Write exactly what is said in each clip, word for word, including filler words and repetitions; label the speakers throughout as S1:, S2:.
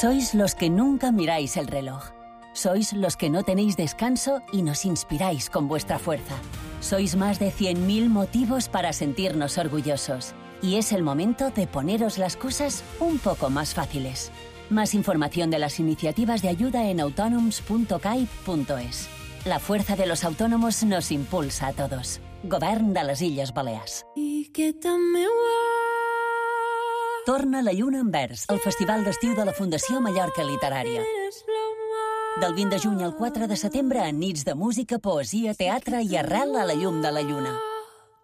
S1: Sois los que nunca miráis el reloj. Sois los que no tenéis descanso y nos inspiráis con vuestra fuerza. Sois más de cien mil motivos para sentirnos orgullosos. Y es el momento de poneros las cosas un poco más fáciles. Más información de las iniciativas de ayuda en autònoms punto caib punto es. La fuerza de los autónomos nos impulsa a todos. Govern de les Illes Balears. Torna la lluna en vers, el festival d'estiu de la Fundació Mallorca Literària. Del vint de juny al quatre de setembre, en nits de música, poesia, teatre i arrel a la llum de la lluna.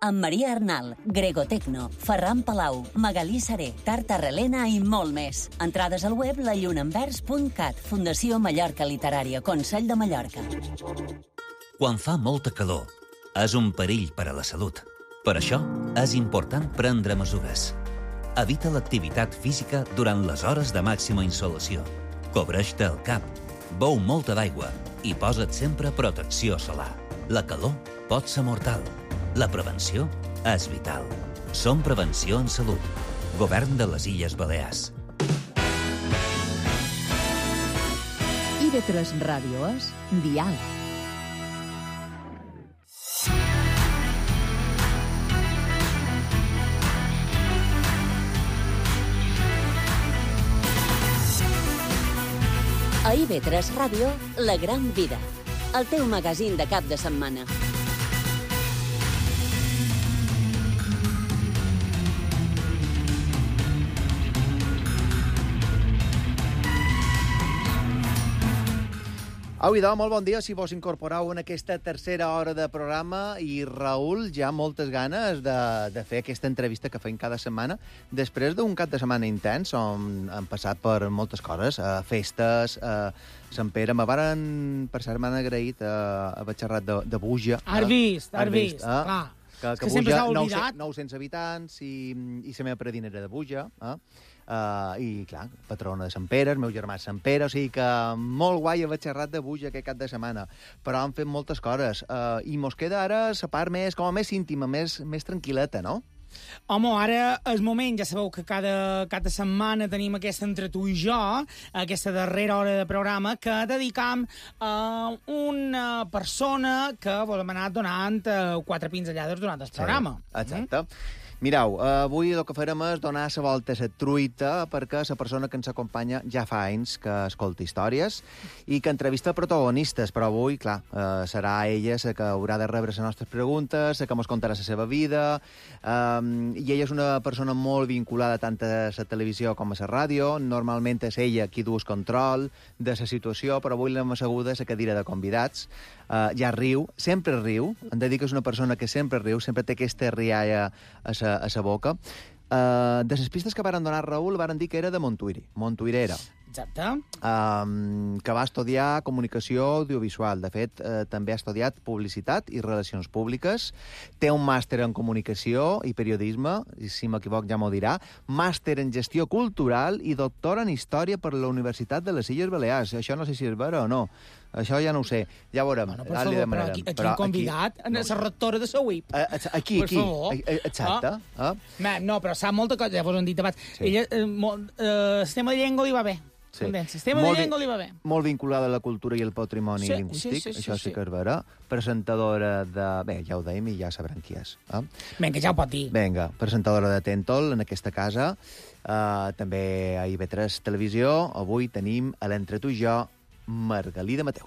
S1: Amb Maria Arnal, Grego Tecno, Ferran Palau, Magalí Seré, Tarta Relena i molt més. Entrades al web la lluna en vers punt cat, Fundació Mallorca Literària, Consell de Mallorca.
S2: Quan fa molta calor, és un perill per a la salut. Per això, és important prendre mesures. Evita l'activitat física durant les hores de màxima insolació. Cobreix-te el cap, beu molta d'aigua i posa't sempre protecció solar. La calor pot ser mortal. La prevenció és vital. Som Prevenció en Salut. Govern de les Illes Balears.
S3: I de tres Ràdio és Dial.
S1: A I V tres Ràdio, La Gran Vida, el teu magazín de cap de setmana.
S4: Au, idò, molt bon dia, si vos incorporeu en aquesta tercera hora de programa i Raül, ja moltes ganes de, de fer aquesta entrevista que fem cada setmana després d'un cap de setmana intens on hem passat per moltes coses, eh, festes, eh, Sant Pere, me varen, per cert, m'han agraït eh, haver xerrat de, de Buja.
S5: Has vist, has vist,
S4: eh?
S5: clar.
S4: Que, que, que
S5: sempre
S4: Buja,
S5: s'ha oblidat.
S4: nou-cents habitants i, i la meva predina era de Buja, eh? Uh, i, clar, patrona de Sant Pere, el meu germà és Sant Pere, o sigui que molt guai haver xerrat de Buja aquest cap de setmana, però han fet moltes coses, uh, i mos queda ara la part més, com a més íntima, més, més tranquil·leta, no?
S5: Home, ara és moment, ja sabeu que cada, cada setmana tenim aquesta entre tu i jo, aquesta darrera hora de programa, que dedicam a una persona que volem anar donant quatre pinzellades durant el programa.
S4: Sí, exacte. Mm? Mireu, avui el que farem és donar la volta a la truita perquè la persona que ens acompanya ja fa anys que escolta històries i que entrevista protagonistes, però avui, clar, eh, serà ella la que haurà de rebre les nostres preguntes, la que ens contarà la seva vida, eh, i ella és una persona molt vinculada tant a la televisió com a la ràdio, normalment és ella qui du el control de la situació, però avui l'hem asseguda a la cadira de convidats. Uh, ja riu, sempre riu, hem de dir que és una persona que sempre riu, sempre té aquesta rialla a sa, a sa boca. Uh, de les pistes que varen donar Raül, varen dir que era de Montuïri, montuïrera.
S5: Exacte.
S4: Um, que va estudiar comunicació audiovisual. De fet, uh, també ha estudiat publicitat i relacions públiques. Té un màster en comunicació i periodisme, i si m'equivoc ja m'ho dirà, màster en gestió cultural i doctor en història per la Universitat de les Illes Balears. Això no sé si és vera o no. Això ja no ho sé. Ja veurem.
S5: Bueno, per favor, però aquí, aquí hem convidat aquí, no, la rectora de la U I P.
S4: Uh, aquí, aquí. Exacte.
S5: Ah. Ah. No, però sap molta cosa, ja vos han dit abans. Sí. Ella, eh, molt, eh, sistema de llengua li va bé. Sí. Sistema molt de llengua li va bé.
S4: Molt vinculada a la cultura i el patrimoni
S5: sí,
S4: lingüístic,
S5: sí, sí,
S4: això sí,
S5: sí,
S4: sí que és vera. Presentadora de... Bé, ja ho dèiem i ja sabrem qui és. Eh?
S5: Vinga, ja ho pot dir.
S4: Vinga, presentadora de Tentol en aquesta casa. Uh, també a I V tres Televisió. Avui tenim a l'Entre tu i jo Margalida Mateu.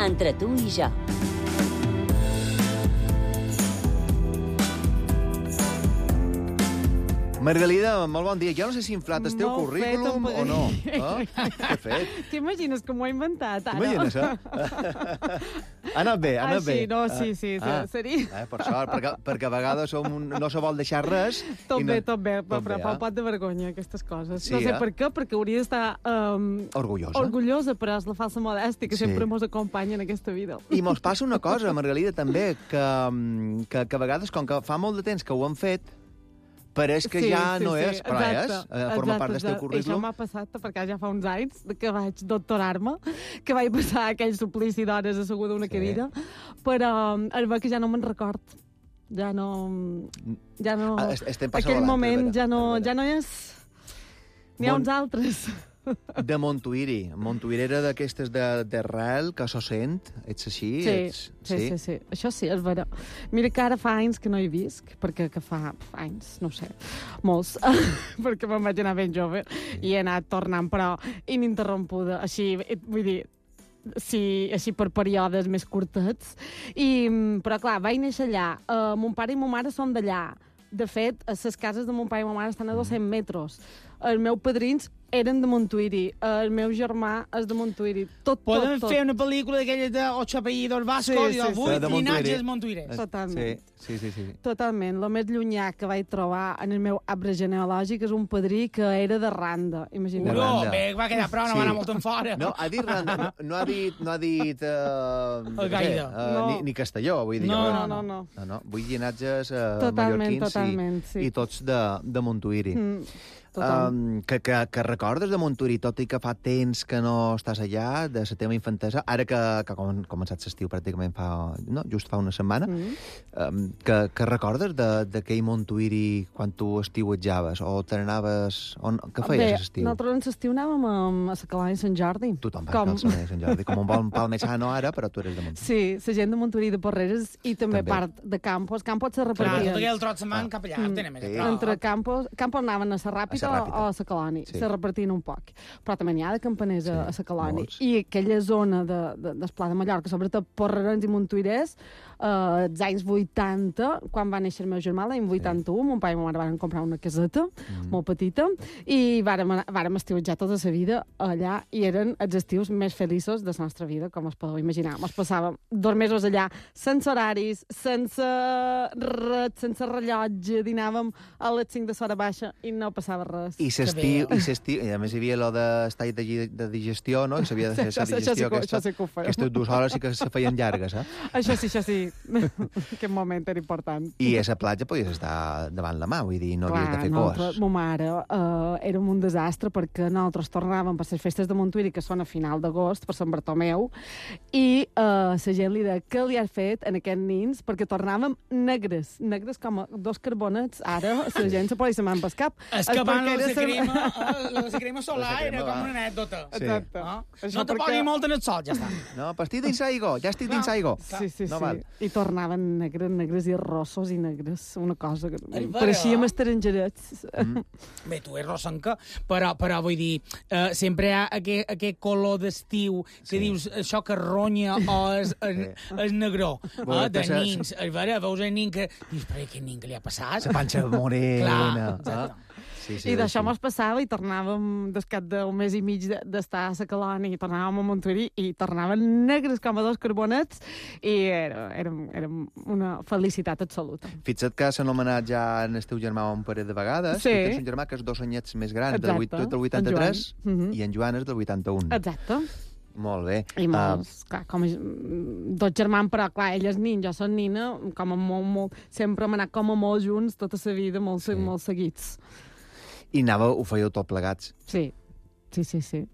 S1: Entre tu i jo.
S4: Margalida, molt bon dia. Jo no sé si he inflat el teu
S6: Molt
S4: currículum
S6: fet,
S4: o no. Eh? Què he fet?
S6: T'imagines que m'ho he inventat, ara?
S4: T'imagines, eh? Ha anat bé, ha anat
S6: ah,
S4: bé.
S6: sí, no, sí, sí,
S4: ah,
S6: seria...
S4: Eh, per sort, perquè, perquè a vegades som un, no se vol deixar res.
S6: Tot
S4: no,
S6: bé, tot bé,
S4: tot
S6: però
S4: bé,
S6: fa
S4: eh?
S6: un pot de vergonya, aquestes coses.
S4: Sí,
S6: no sé
S4: eh?
S6: per què, perquè hauria d'estar... Um,
S4: orgullosa.
S6: Orgullosa, però és la falsa modèstia que
S4: sí.
S6: sempre mos acompanya en aquesta vida.
S4: I mos passa una cosa, Margalida, també, que, que, que a vegades, com que fa molt de temps que ho hem fet, pareix que
S6: sí,
S4: ja
S6: sí,
S4: no
S6: sí,
S4: és, però
S6: exacte,
S4: és, eh, forma
S6: exacte,
S4: part del teu currículum.
S6: Això m'ha passat perquè ja fa uns anys que vaig doctorar-me, que vaig passar aquell suplici d'hores asseguda a una
S4: Sí.
S6: cadira, però es veu que ja no me'n record. Ja no... Ja no...
S4: Ah, estem passant
S6: Aquell
S4: a l'altre,
S6: moment
S4: Vera,
S6: ja no,
S4: Vera.
S6: ja no és... N'hi ha
S4: Mon-
S6: uns altres.
S4: De Montuïri. Montuïri era d'aquestes de- d'arrel, que s'ho sent. Ets així?
S6: Sí,
S4: Ets...
S6: sí, sí, sí. Això sí, és vera. Mira que ara fa anys que no hi visc, perquè que fa anys, no ho sé, molts, perquè me'n vaig anar ben jove i he anat tornant, però ininterrompuda. Així, vull dir, sí, així per períodes més curtets. I, però, clar, vaig néixer allà. Uh, mon pare i mon mare són d'allà. De fet, les cases de mon pare i mon mare estan a dos-cents metres. Els meus padrins eren de Montuïri. El meu germà és de Montuïri. Tot,
S5: Podem
S6: tot, tot.
S5: fer una pel·lícula d'aquelles de Ocho apellidos vascos
S6: Sí,
S5: i
S6: sí,
S5: de
S6: sí.
S5: vuit
S4: De Montuïri.
S5: llinatges montuïres.
S6: Totalment.
S4: Sí, sí, sí. sí.
S6: Totalment. El més llunyà que vaig trobar en el meu arbre genealògic és un padrí que era de Randa. Imagina't.
S4: De
S5: Uro,
S4: Randa.
S5: bé, va quedar prou, no
S4: Sí.
S5: va anar molt en fora.
S4: No, ha dit Randa, no, no ha dit, no ha dit uh,
S5: El gaire.
S4: uh,
S6: No.
S4: ni, ni Castelló, vull dir.
S5: No,
S4: jo.
S6: No, no, no.
S4: No, no, vull llinatges uh,
S6: Totalment,
S4: mallorquins
S6: totalment,
S4: i,
S6: sí.
S4: i tots de, de Montuïri.
S6: Mm, total.
S4: Um, que, que, que recordes de Montuïri, tot i que fa temps que no estàs allà, de la teva infantesa, ara que, que ha començat l'estiu pràcticament fa, no, just fa una setmana,
S6: Mm.
S4: um, que, que recordes de- d'aquell Montuïri quan tu estiuetjaves, o te n'anaves... On, què feies
S6: Bé,
S4: a l'estiu?
S6: nosaltres en l'estiu anàvem a, a la Calanya de Sant Jordi.
S4: Tothom va
S6: Com-
S4: Com... a Sant Jordi, com un bon palmesano ara, però tu eres de Montuïri.
S6: Sí, la gent de Montuïri de Porreres i també,
S4: També.
S6: part de Campos. Campos se
S5: Clar,
S6: repartien.
S5: tot aquell trot se'n van cap allà,
S6: Mm.
S5: ho tenen més a
S4: Sí.
S5: prop.
S6: Entre Campos, Campos anaven a la Ràpita,
S4: A la Ràpita.
S6: o a la Caloni.
S4: Sí.
S6: Se repartien un poc. Però també n'hi ha de campaners
S4: Sí,
S6: a, a la Caloni.
S4: molts.
S6: I aquella zona de, de, del Pla de Mallorca, sobretot Porrerens i Montuirers, eh, als anys vuitanta, quan va néixer el meu germà, l'any vuitanta-u, mon pare i ma mare van comprar una caseta
S4: Mm.
S6: molt petita i vàrem, anar- vàrem estiuetjar tota la vida allà i eren els estius més feliços de la nostra vida, com us podeu imaginar. Ens passàvem dos mesos allà sense horaris, sense res, sense rellotge, dinàvem a les cinc de l'hora baixa i no passava res.
S4: I s'estiu, i s'estiu, i a més hi havia lo d'estat de, gi- de digestió, no? I s'havia de fer
S6: Això
S4: la
S6: sí- això sí
S4: digestió
S6: que-
S4: aquesta.
S6: això sí que ho fèiem.
S4: Aquestes dues hores sí que se feien llargues, eh?
S6: Això sí, això sí. Aquest moment era important.
S4: I a la platja podies estar davant la mà, vull dir, no havies de fer
S6: nosaltres,
S4: cos.
S6: ma mare, uh, érem un desastre perquè nosaltres tornàvem per les festes de Montuïri, que són a final d'agost, per Sant Bartomeu, i uh, la gent li deia què li has fet en aquests nins, perquè tornàvem negres, negres com a dos carbonets. Ara la gent se posa se m'han pescat.
S5: És que abans
S6: perquè
S5: la
S6: era sa-
S5: crema, eh, la crema solar
S4: La crema
S5: era com
S4: va.
S5: una anècdota.
S4: Sí.
S6: Exacte.
S5: Ah?
S6: Això
S5: No te
S6: perquè-
S5: pogui molt en el sol, ja està.
S4: No, pues estic dins aigua, ja estic dins
S5: Clar.
S4: aigua.
S6: Sí, sí,
S4: No
S6: sí.
S4: val.
S6: I tornaven negres, negres i rossos i negres. Una cosa que...
S5: Ai, però-
S6: Pareixíem estrangerets.
S4: Mm.
S5: Bé, tu ets rossanca, però, però vull dir, eh, sempre hi ha aquest, aquest color d'estiu que
S4: Sí.
S5: dius això que ronya o és, és, és negró,
S4: Bueno,
S5: eh, de
S4: passa-
S5: nins. A veure, veus el nin que... Dius, però aquest nin que li ha passat?
S4: La panxa morena.
S5: Clar,
S4: eh? Sí, sí,
S6: I d'això
S4: sí.
S6: mos passava i tornàvem, des cap d'un mes i mig de- d'estar a la Caloni, i tornàvem a Montuïri i tornaven negres com a dos carbonets i era, era, era una felicitat absoluta.
S4: Fixa't que s'ha anomenat ja en el teu germà un parell de vegades.
S6: Sí.
S4: Tu tens un germà que és dos anyets més gran, del,
S6: Exacte.
S4: vuit- tu ets del
S6: En
S4: vuitanta-tres
S6: Joan. Mhm.
S4: i en Joan és del vuitanta-un.
S6: Exacte.
S4: Molt bé.
S6: I
S4: Ah,
S6: molts, uh, clar, com a, mm, dos germans, però clar, ell és nin, jo soc nina, com a molt, molt, sempre hem anat com a molt junts tota la vida, molt,
S4: Sí.
S6: sí. molt seguits.
S4: I anava, ho fèieu tot plegats.
S6: Sí, sí, sí, sí.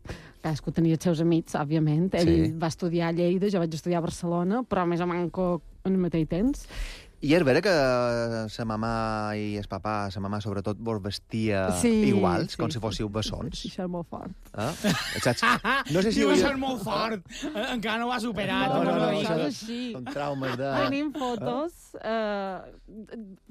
S6: Cadascú tenia els seus amics, òbviament. Ell
S4: Sí.
S6: va estudiar a Lleida, jo vaig estudiar a Barcelona, però més o manco en el mateix temps.
S4: I és vera que sa mamà i el papà, sa mamà sobretot, vos vestia
S6: Sí,
S4: iguals,
S6: sí,
S4: com
S6: sí.
S4: si fóssiu bessons.
S6: Sí, això és molt fort.
S4: Eh? Saps? No sé si...
S5: Diu,
S4: hauria-
S5: això és molt fort. Eh, Encara no ho ha superat.
S6: No, no, no,
S5: no,
S6: això
S5: no,
S6: és així.
S4: Són traumes de...
S6: Tenim fotos, eh,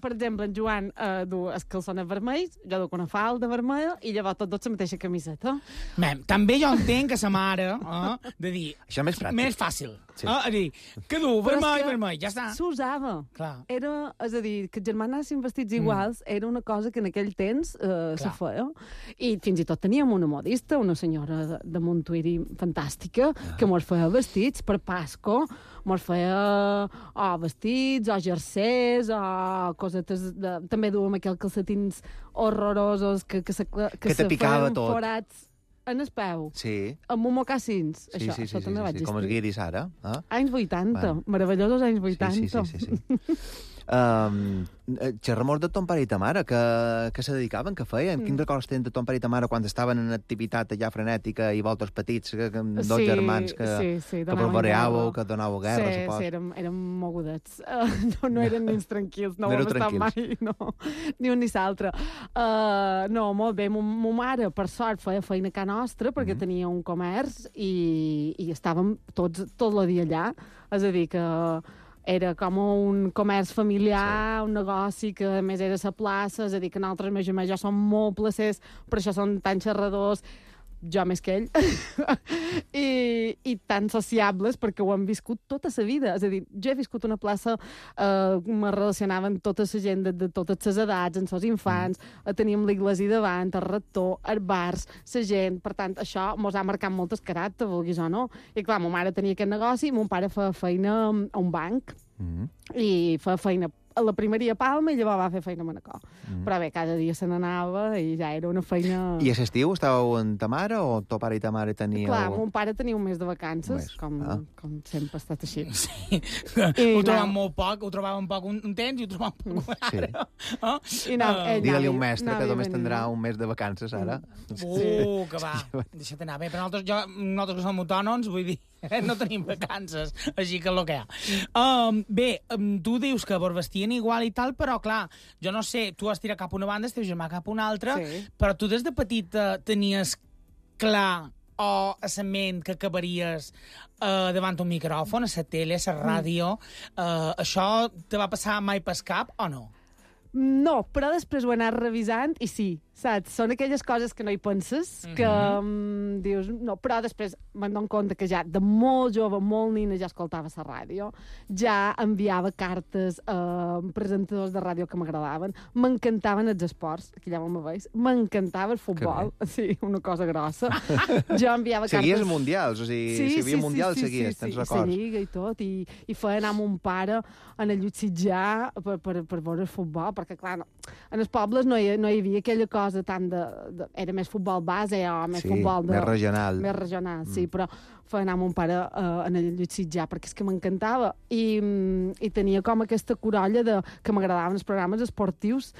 S6: per exemple, en Joan eh, du els calçons vermells, jo duc una falda vermella, i llavors tots dos la mateixa camiseta.
S5: Mem, també jo entenc que sa mare, eh, de dir,
S4: Això més pràctic.
S5: més fàcil.
S4: Sí.
S5: Sí. Eh, a dir, que du,
S6: Però és
S5: vermell,
S6: que
S5: vermell, ja està.
S6: S'usava.
S5: Clar.
S6: Era, és a dir, que els germans anessin vestits iguals era una cosa que en aquell temps eh, se
S5: Clar.
S6: feia. I fins i tot teníem una modista, una senyora de, de Montuïri fantàstica, que mos feia vestits per Pasco, mos feia o vestits, o jersers, o cosetes... De, també duem aquells calcetins horrorosos que, que, se, que,
S4: Que te
S6: se
S4: picava
S6: feien
S4: tot.
S6: forats en el peu,
S4: Sí,
S6: amb un mocassins.
S4: sí,
S6: això,
S4: sí, sí,
S6: això
S4: sí,
S6: també
S4: sí,
S6: va
S4: sí,
S6: existir.
S4: com els guiris ara. Eh?
S6: Anys vuitanta,
S4: Bueno.
S6: meravellosos anys
S4: Sí,
S6: vuitanta.
S4: sí, sí, sí, sí. Um, xerra molt de ton pare i ta mare, que, que se dedicaven, que feien. Mm. Quins records tenen de ton pare i ta mare quan estaven en activitat allà frenètica i voltes petits, que, que amb dos
S6: Sí,
S4: germans que,
S6: sí, sí,
S4: que
S6: donaven
S4: barbeàveu,
S6: guerra.
S4: que donàveu guerra,
S6: Sí,
S4: supos.
S6: sí, érem, érem mogudets. Uh, no, no eren nens tranquils, no,
S4: No
S6: ho
S4: éreu
S6: hem estat mai,
S4: tranquils.
S6: no, ni un ni l'altre. Uh, no, molt bé, mo, mo mare, per sort, feia feina a casa nostra, perquè
S4: Mhm.
S6: tenia un comerç i, i estàvem tots tot el dia allà. És a dir, que era com un comerç familiar, sí. un negoci que a més era a la plaça, és a dir, que nosaltres, més o menys, ja som molt placers, per això són tan xerradors, jo més que ell, I, i tan sociables perquè ho han viscut tota la vida. És a dir, jo he viscut una plaça, eh, me relacionava amb tota la gent de, de totes les edats, amb els infants, mm. teníem l'església davant, el rector, els bars, la gent, per tant, això mos ha marcat molt el caràcter, vulguis o no. I clar, ma mare tenia aquest negoci, mon pare feia feina a un banc,
S4: Mm.
S6: i feia feina a la primeria Palma i llavors va fer feina a Manacor.
S4: Mm.
S6: Però bé, cada dia se n'anava i ja era una feina...
S4: I a l'estiu estàveu amb ta mare o ton pare i ta mare teníeu...
S6: Clar, mon pare tenia un mes de vacances,
S4: Un mes,
S6: com,
S4: ah.
S6: com sempre ha estat així.
S5: Sí.
S6: I
S5: ho
S6: no.
S5: trobàvem molt poc, ho trobàvem poc un, un temps i ho trobàvem poc
S4: Sí.
S5: ara. Oh?
S6: I no,
S5: Eh,
S6: ell
S4: Digue-li a un
S6: anava-
S4: mestre
S6: anava
S4: que
S6: i
S4: només
S6: venia.
S4: tindrà un mes de vacances, ara.
S5: Uh, que va, deixa't anar. Bé, però nosaltres, jo, nosaltres que som autònoms, vull dir, no tenim vacances, així que és el que hi ha. Um, bé, um, tu dius que vos vestien igual i tal, però clar, jo no sé, tu has tirat cap a una banda, el teu germà cap a una altra,
S6: Sí.
S5: però tu des de petita tenies clar o a la ment que acabaries uh, davant un micròfon, a la tele, a la ràdio. Uh, això te va passar mai pel cap o no?
S6: No, però després ho he anat revisant i sí, saps? Són aquelles coses que no hi penses, que mm, dius, no, però després me'n dono compte que ja de molt jove, molt nina, ja escoltava la ràdio, ja enviava cartes a presentadors de ràdio que m'agradaven, m'encantaven els esports, aquí ja me veus, m'encantava el futbol, sí, una cosa grossa. Jo enviava
S4: Seguies
S6: cartes...
S4: mundials, o sigui, si hi havia mundials, seguies, tens
S6: sí,
S4: records.
S6: la Lliga i tot, i, i feia anar amb un pare en el Llutsitjà per, per, per veure el futbol, perquè, clar, no, en els pobles no hi, no hi havia aquella cosa tant de, de... Era més futbol base o més
S4: Sí,
S6: futbol de...
S4: més regional.
S6: Més regional, sí, però feia anar amb un pare uh, en el Llutsitjà, perquè és que m'encantava. I, mm, I tenia com aquesta corolla de, que m'agradaven els programes esportius.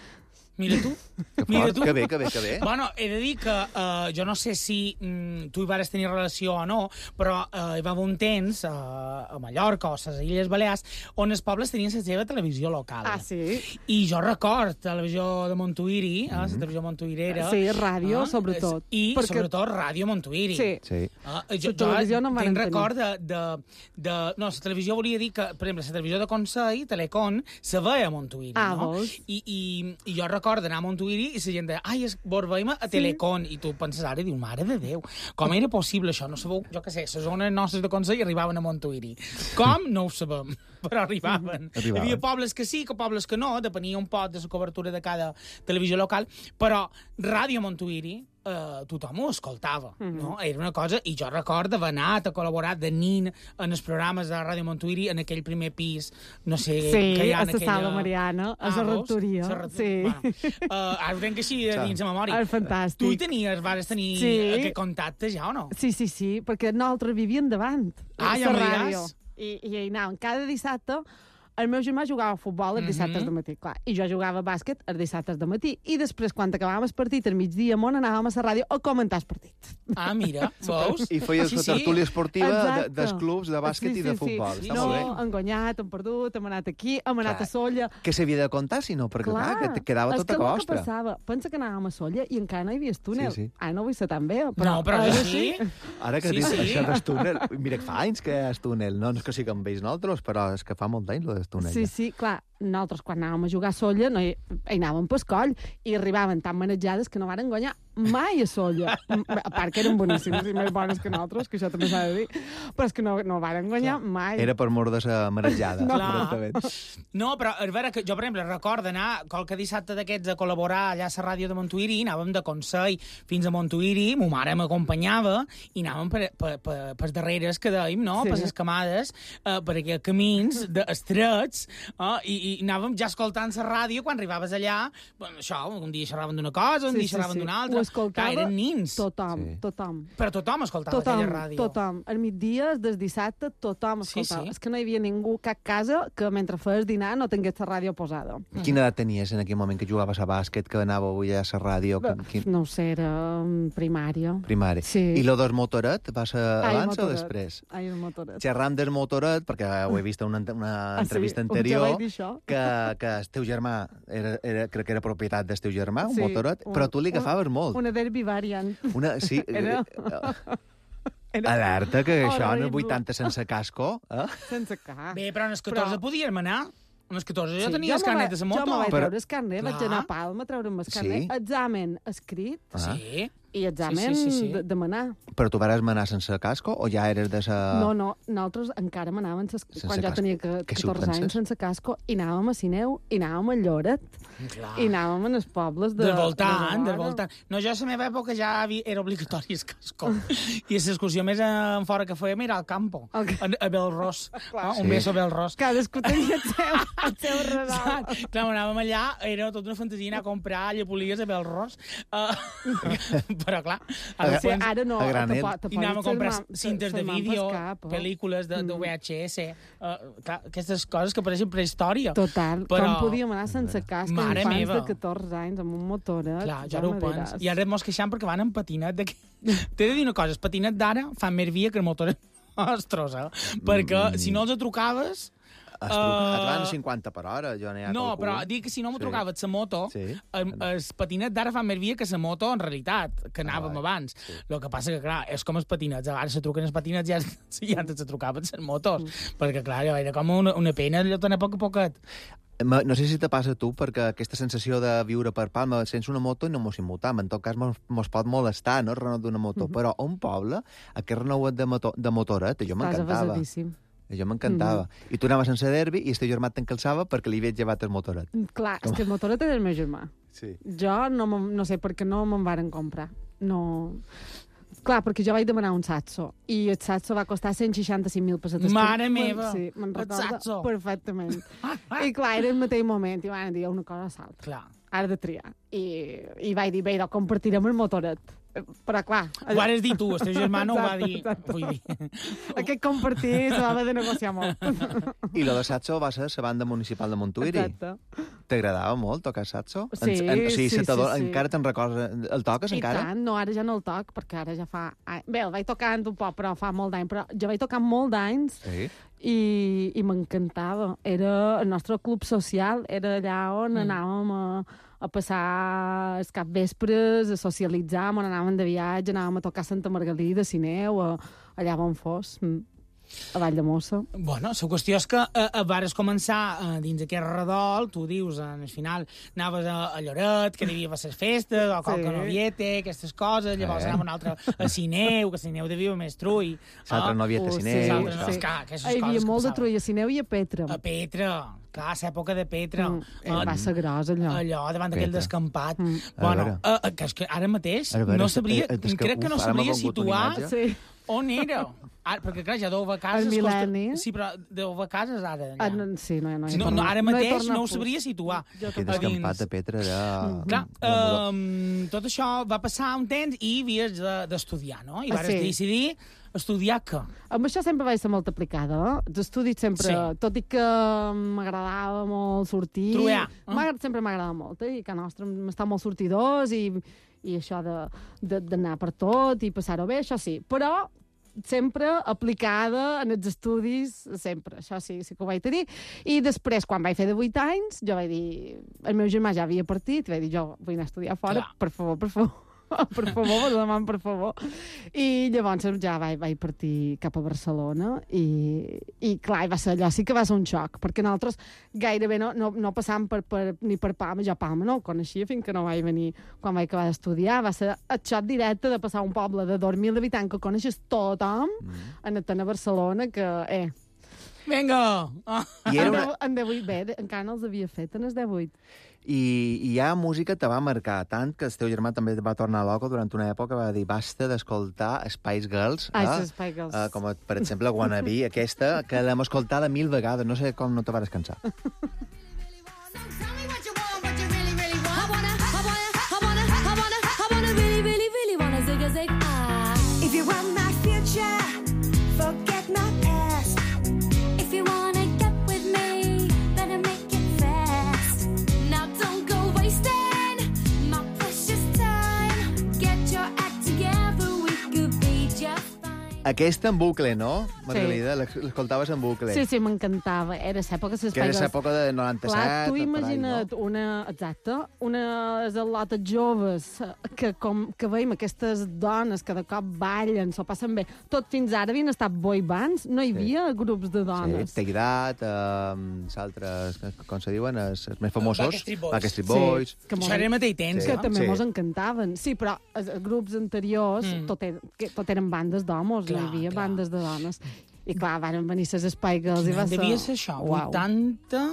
S5: Mira tu.
S4: Que
S5: Mira
S4: fort,
S5: tu.
S4: que bé, que bé, que bé.
S5: Bueno, he de dir que uh, jo no sé si mm, tu hi vares tenir relació o no, però uh, hi va haver un temps uh, a Mallorca o a les Illes Balears on els pobles tenien la seva televisió local.
S6: Ah, sí?
S5: I jo record televisió de Montuïri, eh, la televisió montuïrera.
S6: Sí, ràdio,
S5: eh,
S6: sobretot.
S5: I,
S6: Perquè-
S5: sobretot, ràdio Montuïri.
S6: Sí.
S4: Sí.
S5: Ah, jo,
S6: La televisió no en varen
S5: tinc
S6: tenir.
S5: record de, de, de... No, la televisió volia dir que, per exemple, la televisió de Consell, Telecon, se veia a Montuïri,
S6: Ah,
S5: no?
S6: vols?
S5: I, i, I jo record d'anar a Montuïri i la gent deia, ai, es, vos veiem a Telecon, i tu penses ara i dius, mare de Déu, com era possible això? No sabeu, jo què sé, les zones nostres de Consell arribaven a Montuïri. Com? No ho sabem, però arribaven.
S4: Arribaven.
S5: Hi havia pobles que sí, que pobles que no, depenia un poc de la cobertura de cada televisió local, però Ràdio Montuïri, Uh, tothom ho escoltava, mm -hmm. no? Era una cosa... I jo recordo haver anat a col·laborar de nin en els programes de Ràdio Montuïri en aquell primer pis, no sé...
S6: Sí,
S5: que hi ha
S6: a
S5: en
S6: la
S5: aquella...
S6: Sala Mariana, a la
S5: veus?
S6: rectoria,
S5: La rectoria.
S6: sí.
S5: Bueno, uh, ara ho tenc així de dins la memòria.
S6: Ah, fantàstic.
S5: Tu hi tenies, vas tenir
S6: Sí.
S5: aquest contacte ja o no?
S6: Sí, sí, sí, perquè nosaltres vivíem davant.
S5: Ah,
S6: a
S5: ja
S6: la
S5: m'ho
S6: ràdio.
S5: diràs.
S6: I, I hi anàvem cada dissabte. El meu germà jugava a futbol els dissabtes
S5: Mhm.
S6: de matí, clar, i jo jugava a bàsquet els dissabtes de matí, i després, quan acabàvem el partit, al migdia, món, anàvem a la ràdio a comentar el partit.
S5: Ah, mira, veus?
S4: I feies
S5: Sí,
S4: la
S5: sí.
S4: tertúlia esportiva de,
S6: Exacte.
S4: dels clubs de bàsquet
S6: Sí,
S4: i de
S6: sí, sí.
S4: futbol.
S5: Sí,
S4: Està
S6: No,
S4: molt bé.
S6: hem guanyat, hem perdut, hem anat aquí, hem anat
S4: Clar.
S6: a Solla.
S4: Que s'havia de contar, si no, perquè clar, que te quedava tot a
S6: és que el que
S4: costa.
S6: passava, pensa que anàvem a Solla i encara no hi havia túnel.
S4: Sí, sí.
S6: Ah, no vull ser tan bé, però...
S5: No, però
S6: és
S5: jo
S6: així.
S5: sí.
S4: Ara que
S5: Sí,
S4: dius
S5: sí.
S4: això del túnel... Mira, que fa anys que és túnel. No, no és que sí que em veig nosaltres, però és que fa molt d'anys, lo del túnel.
S6: Sí,
S4: ja.
S6: sí, clar, nosaltres quan anàvem a jugar a Solla no hi, hi anàvem pel coll i arribaven tan manejades que no varen guanyar mai a Solla. A part que eren boníssims i més bones que nosaltres, que això també s'ha de dir, però és que no, no varen guanyar mai.
S4: Era per mort de la marejada.
S5: No.
S4: directament.
S5: No, però a veure, que jo, per exemple, recordo anar qualque dissabte d'aquests a col·laborar allà a la ràdio de Montuïri, anàvem de Consell fins a Montuïri, ma mare m'acompanyava i anàvem per, per, per, per darreres que dèiem, no?
S6: Sí.
S5: Per les camades, eh, per aquells camins de estrets, eh? I, i i anàvem ja escoltant la ràdio quan arribaves allà, bueno, això, un dia xerraven d'una cosa, un
S6: Sí,
S5: dia
S6: sí,
S5: xerraven
S6: sí.
S5: d'una
S6: Ho
S5: altra.
S6: escoltava
S5: Clar, eren nins.
S6: Tothom,
S4: Sí.
S6: tothom.
S5: Però tothom escoltava
S6: Tothom,
S5: aquella ràdio.
S6: tothom. Al migdia, des dissabte, tothom
S5: Sí,
S6: escoltava.
S5: sí.
S6: És que no hi havia ningú, cap casa, que mentre feies dinar no tingués la ràdio posada.
S4: Quina edat tenies en aquell moment que jugaves a bàsquet, que anava avui a la ràdio? Quin, quin...
S6: No ho sé, era mm, primària.
S4: Primari.
S6: Sí.
S4: I lo del motoret va ser
S6: Ai,
S4: abans o
S6: motoret.
S4: després?
S6: Ai, el motoret.
S4: Xerram del motoret, perquè ho he vist en una, una
S6: Ah, sí?
S4: entrevista
S6: Ja
S4: anterior,
S6: vaig dir això.
S4: que, que el teu germà, era, era, crec que era propietat del teu germà, un
S6: Sí,
S4: motoret,
S6: un-
S4: però tu li
S6: un-
S4: agafaves molt.
S6: Una derby variant.
S4: Una, sí,
S6: Era-
S4: eh,
S6: Era
S4: alerta, que això en el
S6: horrible.
S4: vuitanta sense casco, eh?
S6: sense cap.
S5: Bé, però en els catorze
S6: Però-
S5: podíem anar. En els catorze jo
S6: Sí,
S5: tenia el
S6: me
S5: carnet
S6: va-
S5: de la moto.
S6: Jo me vaig
S4: Però-
S6: treure el carnet, vaig
S5: Clar.
S6: anar a Palma a treure'm el carnet.
S4: Sí?
S6: Examen escrit
S4: Ah.
S5: Sí.
S6: i examen
S5: Sí, sí, sí, sí.
S6: de, de manar.
S4: Però tu vares manar sense casco o ja eres de sa...
S6: No, no, nosaltres encara manàvem ses...
S4: Sense
S6: quan jo
S4: casco.
S6: tenia que,
S4: Que si ho
S6: catorze
S4: penses?
S6: anys sense casco i anàvem a Sineu i anàvem a Lloret
S5: Clar.
S6: i anàvem en els pobles de...
S5: Del voltant,
S6: de
S5: del voltant. No, jo a la meva època ja havia, era obligatori el casco. I l'excursió més en fora que fèiem era al campo,
S6: Al ca-
S5: a, a Belrós. Ah, un
S4: Sí.
S5: beso a Belrós.
S6: Cadascú tenia el seu, el seu redol.
S5: Saps? Clar, anàvem allà, era tota una fantasia anar a comprar llepolies a Belrós. Uh, però, clar, ara,
S6: Sí,
S5: pots-
S6: ara no.
S4: a granel.
S6: te po- te
S5: i anàvem a
S6: pots
S5: comprar
S6: ser ma-
S5: cintes de
S6: ser man
S5: vídeo,
S6: pel cap, oh.
S5: pel·lícules de, de
S6: Mm.
S5: V H S, uh, clar, aquestes coses que pareixen prehistòria.
S6: Total,
S5: Però-
S6: com podíem anar sense casc,
S5: Mare
S6: infants
S5: meva.
S6: de catorze anys, amb un motoret.
S5: Clar,
S6: ja
S5: ja no ho
S6: me
S5: pens.
S6: diràs.
S5: I ara mos queixant perquè van en patinet. De... T'he de dir una cosa, el patinet d'ara fa més via que el motor nostres, eh? Perquè si no els trucaves...
S4: Es truca, et van
S5: Uh,
S4: cinquanta per hora, jo n'hi ha
S5: No,
S4: calculo.
S5: però dic que si no me
S4: Sí.
S5: trucaves la moto,
S4: Sí.
S5: el, el patinet d'ara fa més via que la moto en realitat, que anàvem
S4: Ah,
S5: abans.
S4: sí.
S5: El que passa que, clar, és com els patinets. Ara se truquen els patinets i ja, ja antes se trucaven les motos.
S6: Mm.
S5: Perquè, clar, allò era com una, una pena allò tan a poc a poquet.
S4: Ma- No sé si te passa a tu, perquè aquesta sensació de viure per Palma sense una moto no mos immutam. En tot cas, mos, mos pot molestar, no?, el renou d'una moto.
S6: Mhm.
S4: Però a un poble, aquest renouet de, moto, de motoret, jo
S6: Estàs
S4: m'encantava.
S6: avasadíssim.
S4: Jo m'encantava. I tu anaves sense derbi i el teu germà t'encalçava perquè li havies llevat el motoret.
S6: Clar, és que el motoret era el meu germà.
S4: Sí.
S6: Jo no, me'n- no sé per què no me'n varen comprar. No... Clar, perquè jo vaig demanar un Satso i el Satso va costar cent seixanta-cinc mil pessetes.
S5: Mare
S6: Me'n-
S5: meva!
S6: Sí, me'n
S5: El
S6: recordo
S5: Saxo!
S6: perfectament. I clar, era el mateix moment i van dir una cosa a l'altra.
S5: Clar.
S6: Ara de triar. I, i vaig dir, bé, doncs compartirem el motoret. Però clar...
S5: Ho vas dir tu, el teu germà no ho va
S6: Exacte,
S5: dir.
S6: exacte.
S5: Vull dir.
S6: Aquest compartir se va haver de negociar molt.
S4: I lo de Satso va ser la banda municipal de Montuïri.
S6: Exacte.
S4: T'agradava molt tocar Satso?
S6: Sí,
S4: en, en, o sigui,
S6: sí,
S4: se t'ador-
S6: sí, sí.
S4: Encara te'n recordes? El toques
S6: I
S4: encara?
S6: tant, no, ara ja no el toc, perquè ara ja fa... Ai, bé, el vaig tocant un poc, però fa molt d'anys, però jo vaig tocar molt d'anys
S4: Sí.
S6: i, i m'encantava. Era el nostre club social, era allà on mm. anàvem a, a passar els capvespres, a socialitzar, on anàvem de viatge, anàvem a tocar Santa Margalida, Sineu, a, allà on fos, mm, a Vall de Mossa.
S5: Bueno, la qüestió és que eh, eh, vares començar eh, dins aquest redol, tu dius, en el final anaves a, a Lloret, que devia fer les festes, o Coca
S6: Sí.
S5: Noviete, aquestes coses, llavors
S4: Eh.
S5: anava un altre a Sineu, que Sineu devia més trull.
S4: L'altre no havia de
S6: Oh,
S4: Sineu.
S6: sí,
S5: l'altre
S4: això.
S5: no, és que aquestes
S6: Hi havia
S5: coses que
S6: molt de
S5: passaven.
S6: trull a Sineu i a Petra.
S5: A Petra, clar, l'època de Petra.
S6: Mm,
S5: Eh,
S6: va ser gros, allò.
S5: allò, davant d'aquell
S4: Petra.
S5: descampat.
S6: Mm.
S5: Bueno,
S4: A
S5: eh, eh, que és que ara mateix
S4: A veure,
S5: no
S4: és-
S5: sabria,
S4: eh, és que,
S5: crec que no
S4: uf, ara m'ha
S5: sabria
S4: vingut una
S5: situar
S4: imatge.
S6: Sí.
S5: on era. Ara, perquè, clar, ja deu haver cases...
S6: El
S5: costa-
S6: mil·lenni.
S5: Sí, però deu haver cases ara.
S6: Ah,
S5: allà.
S6: no, sí, no, no, he
S5: Si no, no,
S6: tornat-
S5: ara
S6: he
S5: mateix
S6: tornat
S5: no ho
S6: a pus-
S5: sabria situar.
S6: Jo
S4: Aquell
S6: tampoc.
S4: descampat de Petra era...
S5: Clar,
S4: era
S5: um, tot això va passar un temps i havies de- d'estudiar, no? I
S6: Ah,
S5: vas
S6: sí.
S5: decidir estudiar què?
S6: Amb això sempre vaig ser molt aplicada. Els estudis sempre,
S5: Sí.
S6: tot i que m'agradava molt sortir...
S5: Truear, eh?
S6: m'agrada- Sempre m'agrada molt, eh? I que nostre m'està molt sortidors i, i això de- de- d'anar per tot i passar-ho bé, això sí. Però sempre aplicada en els estudis, sempre, això sí, sí que ho vaig tenir. I després, quan vaig fer de vuit anys, jo vaig dir... El meu germà ja havia partit, i vaig dir, jo vull anar a estudiar fora,
S5: Clar.
S6: per favor, per favor. per favor, us demano per favor. I llavors ja vaig, vaig partir cap a Barcelona i, i clar, va ser allò, sí que va ser un xoc, perquè nosaltres gairebé no, no, no passàvem per, per, ni per Palma, jo Palma no ho coneixia fins que no vaig venir quan vaig acabar d'estudiar, va ser el xoc directe de passar a un poble de dos mil habitants que coneixes tothom,
S4: Mm.
S6: en a Barcelona, que, eh,
S5: Vinga! Ah.
S4: I, era
S6: en,
S4: una...
S6: deu, en divuit, bé, encara no els havia fet en els divuit.
S4: I, I ja música te va marcar tant que el teu germà també va tornar loco durant una època, va dir basta d'escoltar Spice Girls,
S6: Ai,
S4: eh?
S6: els Spice Girls.
S4: Uh, com per exemple Wannabe, aquesta, que l'hem escoltada mil vegades, no sé com no te vas cansar. Aquesta en bucle, no, Margalida?
S6: Sí.
S4: L'escoltaves en bucle.
S6: Sí, sí, m'encantava. Era l'època de les
S4: Que era l'època de noranta-set.
S6: Clar, tu
S4: per ahí,
S6: imagina't
S4: no?
S6: una, exacte, unes al·lotes joves que, com, que veiem aquestes dones que de cop ballen, s'ho passen bé. Tot fins ara havien estat boy bands, no hi havia sí. grups de dones.
S4: Sí, Take That, um, s'altres, com se diuen, els, els més famosos.
S5: Backstreet Boys.
S4: Backstreet Boys.
S6: Sí, que
S5: Això era mateix temps,
S6: que
S5: no?
S6: també
S4: Sí.
S6: mos encantaven. Sí, però els grups anteriors
S5: Mm.
S6: tot, er, que, tot eren bandes d'homes, no
S5: Clar,
S6: hi havia
S5: clar.
S6: bandes de dones. I clar, van venir les Spice Girls i va ser...
S5: Devia ser això,
S6: Uau.
S5: vuitanta...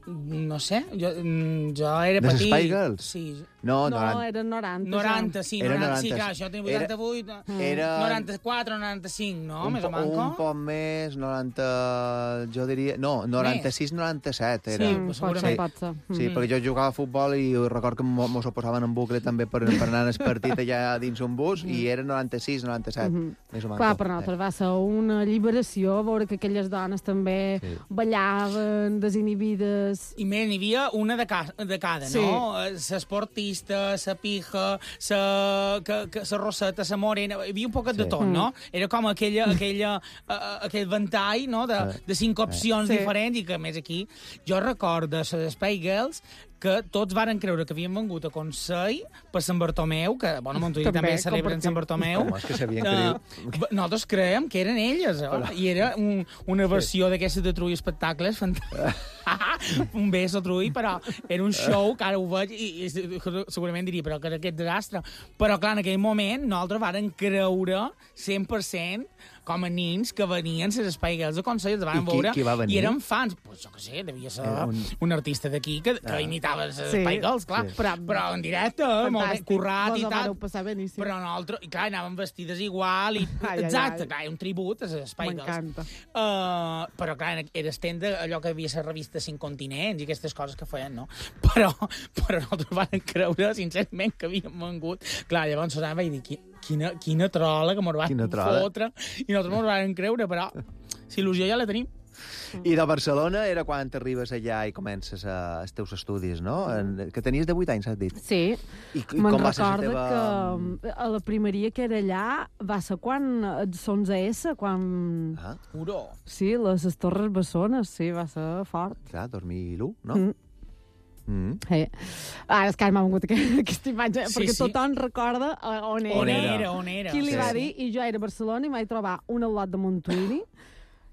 S5: No sé, jo, mm, jo era
S4: De les
S5: petit.
S4: Spice Girls?
S5: Sí.
S4: No,
S6: No,
S4: noranta.
S6: era noranta.
S5: noranta, sí,
S4: Era
S5: noranta, sí,
S4: noranta.
S5: clar, això tenia
S4: Era-
S5: vuitanta-vuit,
S4: era-
S5: noranta-quatre, noranta-cinc, no?
S4: un,
S5: Més
S4: po,
S5: o manco.
S4: un poc més, noranta... Jo diria... No, noranta-sis noranta-set era.
S5: Sí,
S6: Mm, pot
S5: segurament.
S6: ser, pot ser.
S4: Sí,
S6: Mm.
S4: perquè jo jugava a futbol i record que mo- mos ho posaven en bucle també per, per anar al partit allà dins un bus i era noranta-sis noranta-set,
S6: Mhm.
S4: més o menys.
S6: Clar, per nosaltres va ser una lliberació veure que aquelles dones també
S4: Sí.
S6: ballaven, desinhibides...
S5: I més, n'hi havia una de, ca de cada,
S6: Sí.
S5: no? L'esportista, la pija, la que, que, la roseta, la morena... Hi havia un poquet
S4: Sí.
S5: de tot, no? Era com aquella, aquella, uh, aquell ventall, no?, de, de cinc opcions
S6: Sí.
S5: diferents i que, a més, aquí... Jo recordo de les Spice Girls que tots varen creure que havien vengut a Consell per Sant Bartomeu, que, bueno, a Montuïri
S6: També,
S5: també, celebren
S6: compartim.
S5: Sant Bartomeu.
S4: Home, és que sabien que
S5: Eh, b- Nosaltres creiem que eren elles, eh? I era un, una versió d'aquestes de Trui Espectacles fantàstica. Un beso, Trui, però era un show que ara ho veig i, i segurament diria, però que era aquest desastre. Però, clar, en aquell moment nosaltres varen creure cent per cent com a nins que venien les Spice Girls de Consell, els van
S4: I qui-
S5: veure
S4: qui va venir?
S5: i eren fans. Pues jo què sé, devia ser
S4: Era
S5: un...
S4: un-
S5: un artista d'aquí que, que imitava les
S6: Sí,
S5: Spice Girls, clar.
S4: sí.
S5: Però, però en directe, molt ben
S6: Fantàstic.
S5: currat
S6: Vos
S5: i
S6: ho
S5: tal.
S6: vareu passar beníssim.
S5: Però nosaltres, i clar, anàvem vestides igual, i,
S6: Ai, ai,
S5: exacte,
S6: ai.
S5: clar, un tribut a les Spice Girls.
S6: M'encanta.
S5: Uh, però, clar, era estent allò que havia la revista Cinc Continents i aquestes coses que feien, no? Però, però nosaltres vam creure, sincerament, que havíem vengut. Clar, llavors Susana va dir, "Qui- quina, quina trola que mos van
S4: Quina trola."
S5: fotre, i nosaltres mos vam creure, però la il·lusió ja la tenim.
S4: I de Barcelona era quan t'arribes allà i comences a, els teus estudis, no? En, que tenies divuit anys, has dit.
S6: Sí,
S4: I, i
S6: me'n
S4: com va ser la
S6: recordo
S4: teva...
S6: que a la primeria que era allà va ser quan els onze essa, quan...
S4: Ah,
S5: Uro.
S6: Sí, les, les Torres Bessones, sí, va ser fort.
S4: clar, dos mil u, no?
S6: Mm.
S4: Mm.
S6: Eh. Ara és que m'ha vingut aquesta, aquesta imatge,
S5: Sí,
S6: perquè
S5: sí.
S6: tothom recorda eh, on era.
S5: On
S4: era?
S5: era, on era.
S6: Qui li
S4: Sí.
S6: va dir, i jo era a Barcelona i m'vaig trobar un al·lot de Montuïri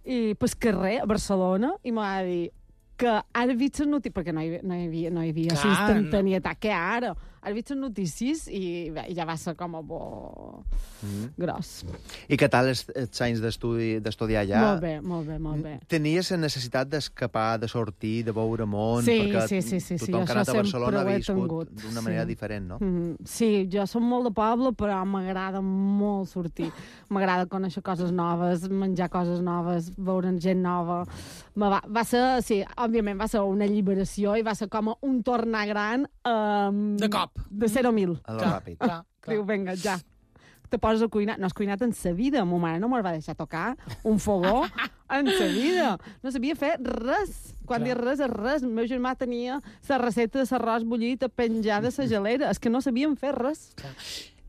S6: i pel carrer, a Barcelona, i m'ha dir que ara he vist les notícies, perquè no hi, havia- no hi havia, no hi havia
S5: Clar,
S6: Clar, instantanietat, que ara, ara he vist les notícies i bé, ja va ser com a bo
S4: Mm.
S6: gros.
S4: I què tal els, els anys d'estudi d'estudiar allà?
S6: Molt bé, molt bé, molt bé.
S4: Tenies la necessitat d'escapar, de sortir, de veure món?
S6: Sí,
S4: perquè
S6: sí, sí, sí, sí,
S4: tothom que ha
S6: això
S4: anat a Barcelona
S6: sempre ho
S4: ha
S6: he
S4: viscut
S6: tingut,
S4: d'una
S6: sí.
S4: manera diferent, no?
S6: Mm, sí, jo som molt de poble, però m'agrada molt sortir. M'agrada conèixer coses noves, menjar coses noves, veure gent nova. Me va, va ser, sí, òbviament va ser una alliberació i va ser com un tornar gran um,
S5: De cop.
S6: de zero a mil.
S4: A lo
S5: Clar,
S4: ràpid.
S5: clar, clar.
S6: Diu, vinga, ja. Te poses a cuinar. No has cuinat en sa vida. Ma mare no me'l va deixar tocar un fogó en sa vida. No sabia fer res. Quan
S5: Clar.
S6: dius res és res. El meu germà tenia la recepta de l'arròs bullit a penjar de la gelera. És que no sabíem fer res.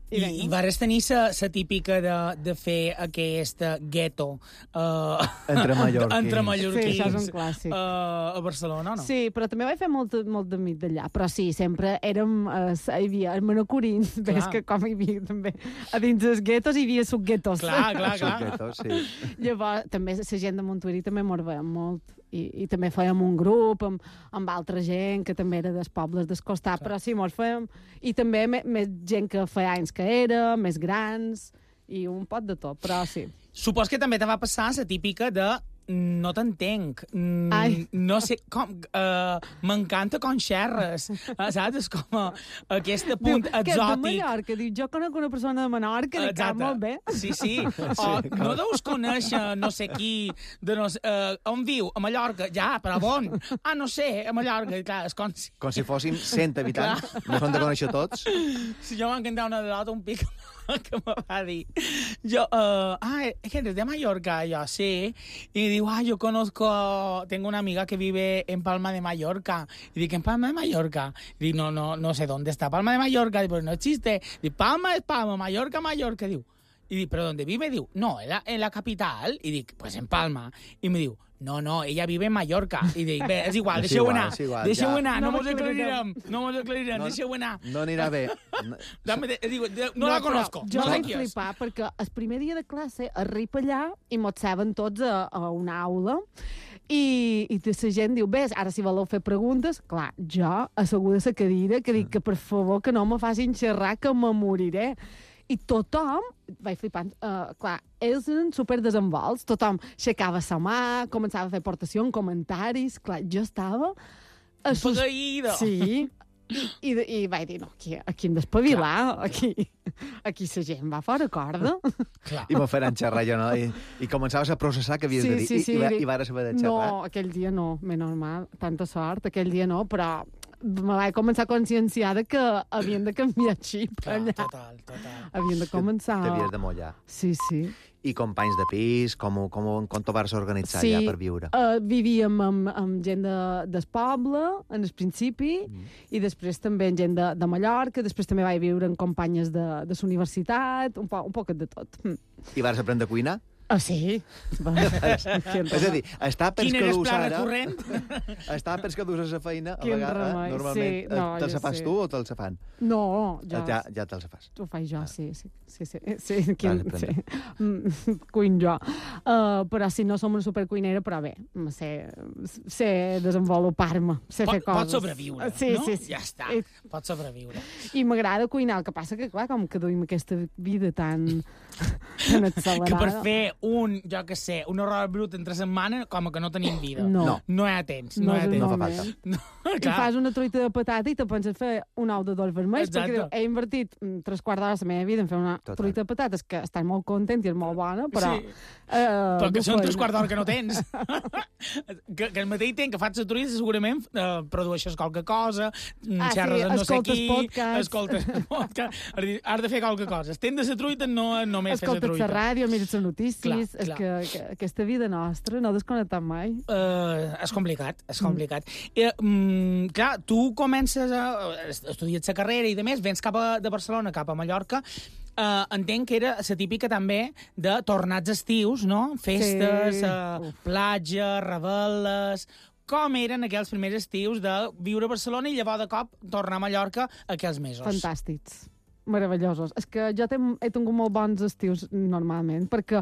S5: I,
S6: vinga.
S5: i vares tenir la típica de, de fer aquesta gueto uh,
S4: Entre mallorquins.
S5: entre mallorquins
S6: Sí, això és un clàssic.
S5: uh, a Barcelona, no?
S6: Sí, però també vaig fer molt, molt d'amic d'allà. Però sí, sempre érem... Eh, hi havia els manacorins. Ves que com hi havia també... A dins dels guetos hi havia subguetos.
S5: Clar, clar, clar.
S4: Suqueto, sí.
S6: Llavors, també la gent de Montuïri també mos veiem molt. I, i també fèiem un grup amb, amb altra gent que també era dels pobles del costat, però sí, mos fèiem... I també me, més gent que feia anys que era, més grans, i un pot de tot, però sí.
S5: Supos que també te va passar la típica de no t'entenc, mm,
S6: Ai.
S5: no sé com... Uh, M'encanta com xerres, uh, saps? És com uh, aquest punt
S6: Diu, que és de
S5: exòtic.
S6: Mallorca. Diu, jo conec una persona de Menorca, li cap molt bé.
S5: Sí, sí. O, no deus conèixer no sé qui, de no sé, uh, on viu? A Mallorca. Ja, però on? Ah, no sé, a Mallorca. I clar, és com si...
S4: Com si fossin cent habitants. No s'han de conèixer tots.
S5: Si jo m'han cantat una anedota, un pic que me va dir. Jo, uh, ah, eres de Mallorca, yo sí. Y digo, ah, yo conozco, tengo una amiga que vive en Palma de Mallorca. Y digo, ¿en Palma de Mallorca? Y digo, no, no, no sé dónde está Palma de Mallorca. Digo, pues no existe. Digo, Palma es Palma, Mallorca, Mallorca. Digo, I dic, ¿pero dónde vive? Diu, no, en la, en la capital. I dic, pues en Palma. I me diu, no, no, ella vive en Mallorca. I dic, bé, és igual,
S4: És
S5: deixeu
S4: igual,
S5: anar.
S4: és igual,
S5: Deixeu
S4: ja.
S5: anar, no,
S6: No
S5: mos aclarirem.
S6: m'aclarirem.
S5: No mos aclarirem,
S4: No-
S5: deixeu anar.
S4: No anirà bé.
S5: Dame, de- diu, de- no, la
S6: però
S5: conozco,
S6: Jo
S5: no sé
S6: vaig
S5: qui és.
S6: flipar perquè el primer dia de classe arriba allà i mos saben tots a, a una aula i, i la gent diu, bé, ara si voleu fer preguntes, clar, jo asseguda a la cadira que dic que per favor que no me facin xerrar que me moriré. I tothom, vaig flipant, uh, clar, ells eren superdesenvolts, tothom aixecava la mà, començava a fer aportacions, comentaris, clar, jo estava... assust-
S5: Pegaïda.
S6: Sí, i, i, i vaig dir, no, aquí, aquí hem d'espavilar, aquí, aquí la gent va fora corda.
S5: Clar.
S4: I me faran xerrar jo, no? I, i començaves a processar que havies
S6: Sí,
S4: de dir.
S6: sí, sí,
S4: I, i, va-
S6: dic,
S4: i vares haver de xerrar.
S6: No, aquell dia no, més normal, tanta sort, aquell dia no, però me vaig començar a conscienciar de que havien de canviar xip
S5: Clar,
S6: allà.
S5: total, total.
S6: Havien de començar...
S4: T'havies de mullar.
S6: Sí, sí.
S4: I companys de pis, com, ho- com, ho- com t'ho vas organitzar
S6: Sí,
S4: allà per viure?
S6: Uh, vivíem amb, amb gent de, del poble, en el principi, mm. i després també amb gent de, de Mallorca, després també vaig viure amb companyes de, de la universitat, un, po, un poquet de tot. Mm.
S4: I vas aprendre a cuinar?
S6: Ah, sí?
S4: És a dir, està pels
S5: Quin
S4: que
S5: era el
S4: dus
S5: pla
S4: ara...
S5: recurrent?
S4: Està pels que dus a la feina, a
S6: Quin
S4: vegades,
S6: remei,
S4: normalment,
S6: sí, no,
S4: te'ls
S6: jo
S4: fas
S6: sé.
S4: tu o te'ls fan?
S6: No, jo...
S4: Ja, ja te'ls fas.
S6: Ho faig jo, sí, sí, sí, sí, sí, quin,
S4: Vale,
S6: sí. Mm, cuin jo. Uh, però si no som una supercuinera, però bé, me sé, sé desenvolupar-me, sé fer
S5: Pot,
S6: coses.
S5: pot sobreviure,
S6: sí,
S5: no?
S6: Sí, sí,
S5: Ja està,
S6: I,
S5: pot sobreviure.
S6: i m'agrada cuinar, el que passa que, clar, com que duim aquesta vida tan, tan accelerada...
S5: Que per fer un, jo que sé, un horror brut entre setmana, com que no tenim vida.
S6: No.
S4: No.
S5: No hi ha temps, no,
S6: No
S5: hi ha
S6: és el
S5: temps.
S4: No fa
S6: moment.
S4: falta.
S5: No,
S6: I
S5: clar.
S6: fas una truita de patata i te penses fer un ou de dolç vermells,
S5: Exacte.
S6: perquè diu, he invertit mm, tres quarts d'hora de la meva vida en fer una
S4: Total.
S6: truita de patates que estan molt content i és molt bona, però...
S5: Sí.
S6: Eh,
S5: Però que
S6: no
S5: són
S6: feina.
S5: tres quarts d'hora que no tens. que, que el mateix temps que fas la truita segurament eh, produeixes qualque cosa, mm,
S6: Ah,
S5: xerres
S6: sí,
S5: amb no sé
S6: escoltes
S5: qui,
S6: podcasts.
S5: escoltes podcast, has de- has de fer qualque cosa. Estendre la truita no només fer la
S6: Escolta't
S5: truita.
S6: la ràdio, mires les notícies...
S5: Clar,
S6: és
S5: clar.
S6: que, que aquesta vida nostra no desconnectem mai.
S5: Uh, és complicat, és complicat. Mm. I, mm, clar, tu comences a estudiar la carrera i de més, vens cap a, de Barcelona cap a Mallorca, uh, entenc que era la típica també de tornats estius, no? Festes,
S6: Sí.
S5: uh, platja, rebel·les... Com eren aquells primers estius de viure a Barcelona i llavors de cop tornar a Mallorca aquells mesos?
S6: Fantàstics, meravellosos. És que jo he, he tingut molt bons estius normalment, perquè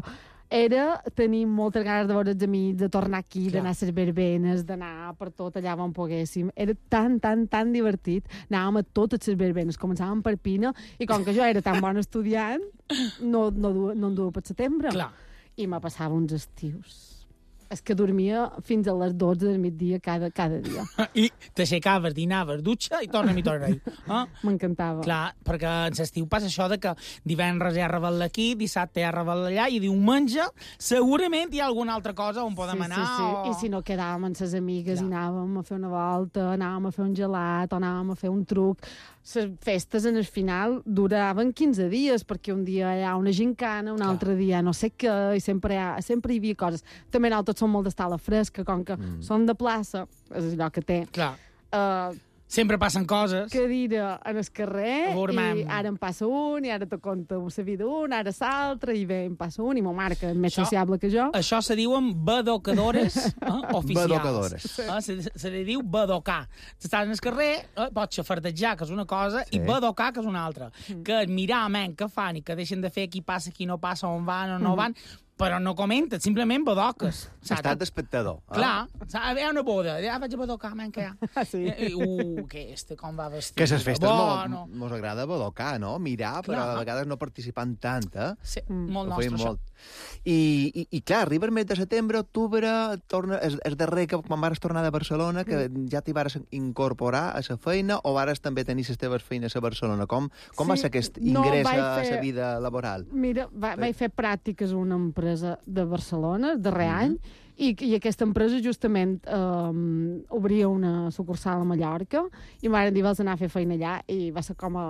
S6: era tenir moltes ganes de veure els amics, de tornar aquí,
S5: Clar.
S6: d'anar a les verbenes, d'anar per tot allà on poguéssim. Era tan, tan, tan divertit. Anàvem a totes les verbenes, començàvem per Pina, i com que jo era tan bon estudiant, no, no, du, no em duia per setembre.
S5: Clar.
S6: I me passava uns estius. És que dormia fins a les dotze del migdia cada, cada dia.
S5: I t'aixecaves, dinaves, dutxa i torna-hi, torna-hi. Eh?
S6: M'encantava.
S5: Clar, perquè en l'estiu passa això de que divendres hi ha rebel aquí, dissabte hi ha rebel allà, i diumenge segurament hi ha alguna altra cosa on podem
S6: sí,
S5: anar.
S6: Sí, sí.
S5: O...
S6: I si no quedàvem amb les amigues
S5: Clar.
S6: i anàvem a fer una volta, anàvem a fer un gelat, o anàvem a fer un truc. Les festes, en el final, duraven quinze dies, perquè un dia hi ha una gincana, un
S5: Clar.
S6: altre dia no sé què, i sempre hi, ha, sempre hi havia coses. També nosaltres som molt d'estar a la fresca, com que mm. som de plaça, és allò que té.
S5: Clar,
S6: Uh,
S5: sempre passen coses.
S6: cadira en el carrer,
S5: A veure,
S6: i
S5: mam.
S6: ara em passa un, i ara te conta la vida d'un, ara l'altre, i bé, em passa un, i ma mare, que és més
S5: Això-
S6: sociable que jo,
S5: Això se diuen badocadores eh, oficials.
S4: Badocadores.
S5: Eh, se, se li diu badocar. Estàs en el carrer, eh, pots xafardejar, que és una cosa,
S4: Sí.
S5: i badocar, que és una altra. Que és mirar, men, què fan, i que deixen de fer qui passa, qui no passa, on van o no van, però no comenten, simplement badoques. Saps?
S4: Estat d'espectador. eh?
S5: Clar, saps? Hi ha una boda, ja vaig a badocar, men, que hi ha.
S6: Ah, sí.
S5: I, i, uh, que este com va vestit.
S4: Que a les festes
S5: Bueno.
S4: mos, mos agrada badocar, no? Mirar, però
S5: Clar.
S4: a vegades no participant tant, eh?
S5: Sí,
S6: Mm.
S5: molt
S4: Ho
S5: nostre,
S4: feim
S5: això.
S4: molt. I, i, I clar, arriba el mes de setembre, octubre, torna, és, és darrer que quan vares tornar de Barcelona, que
S6: Mm.
S4: ja t'hi vares incorporar a la feina, o vares també tenir les teves feines a Barcelona? Com, com
S6: Sí,
S4: va ser aquest
S6: no,
S4: ingrés
S6: vaig
S4: a
S6: fer-
S4: la vida laboral?
S6: Mira, va, vaig fer pràctiques a una empresa de Barcelona, el darrer any, i, i aquesta empresa justament um, obria una sucursal a Mallorca, i m'han dit, vols anar a fer feina allà, i va ser com a...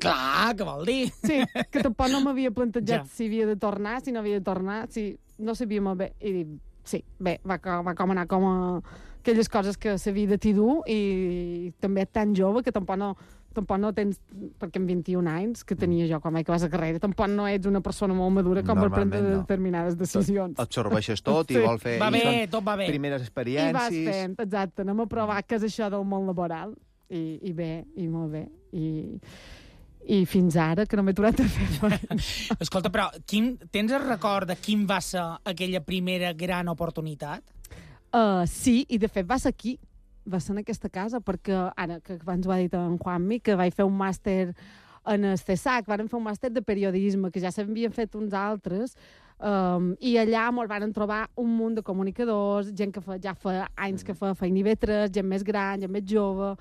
S5: Clar, què vol dir?
S6: Sí, que tampoc no m'havia plantejat
S5: Ja.
S6: si havia de tornar, si no havia de tornar, si no sabia molt bé. I dic, sí, bé, va, co- va com anar com a aquelles coses que la vida t'hi du, i també tan jove que tampoc no, tampoc no tens, perquè amb vint-i-un anys que tenia jo quan vaig acabar la carrera, tampoc no ets una persona molt madura com per prendre
S4: no.
S6: determinades decisions.
S4: Absorbeixes tot
S6: Sí.
S4: i vol fer...
S5: Va
S4: i
S5: bé,
S4: són
S5: tot va bé.
S4: Primeres
S6: I vas
S4: experiències...
S6: fent, exacte, anem a provar què és això del món laboral, i, i bé, i molt bé, i, i fins ara que no m'he aturat a fer feina.
S5: Escolta, però quin, tens el record de quin va ser aquella primera gran oportunitat?
S6: Uh, sí, i de fet va ser aquí, va ser en aquesta casa, perquè ara que abans ho ha dit en Juanmi, que vaig fer un màster en el C E S A C, vàrem fer un màster de periodisme, que ja s'havien fet uns altres, um, i allà ens van trobar un munt de comunicadors, gent que fa, ja fa anys que fa feina I V tres, gent més gran, gent més jove,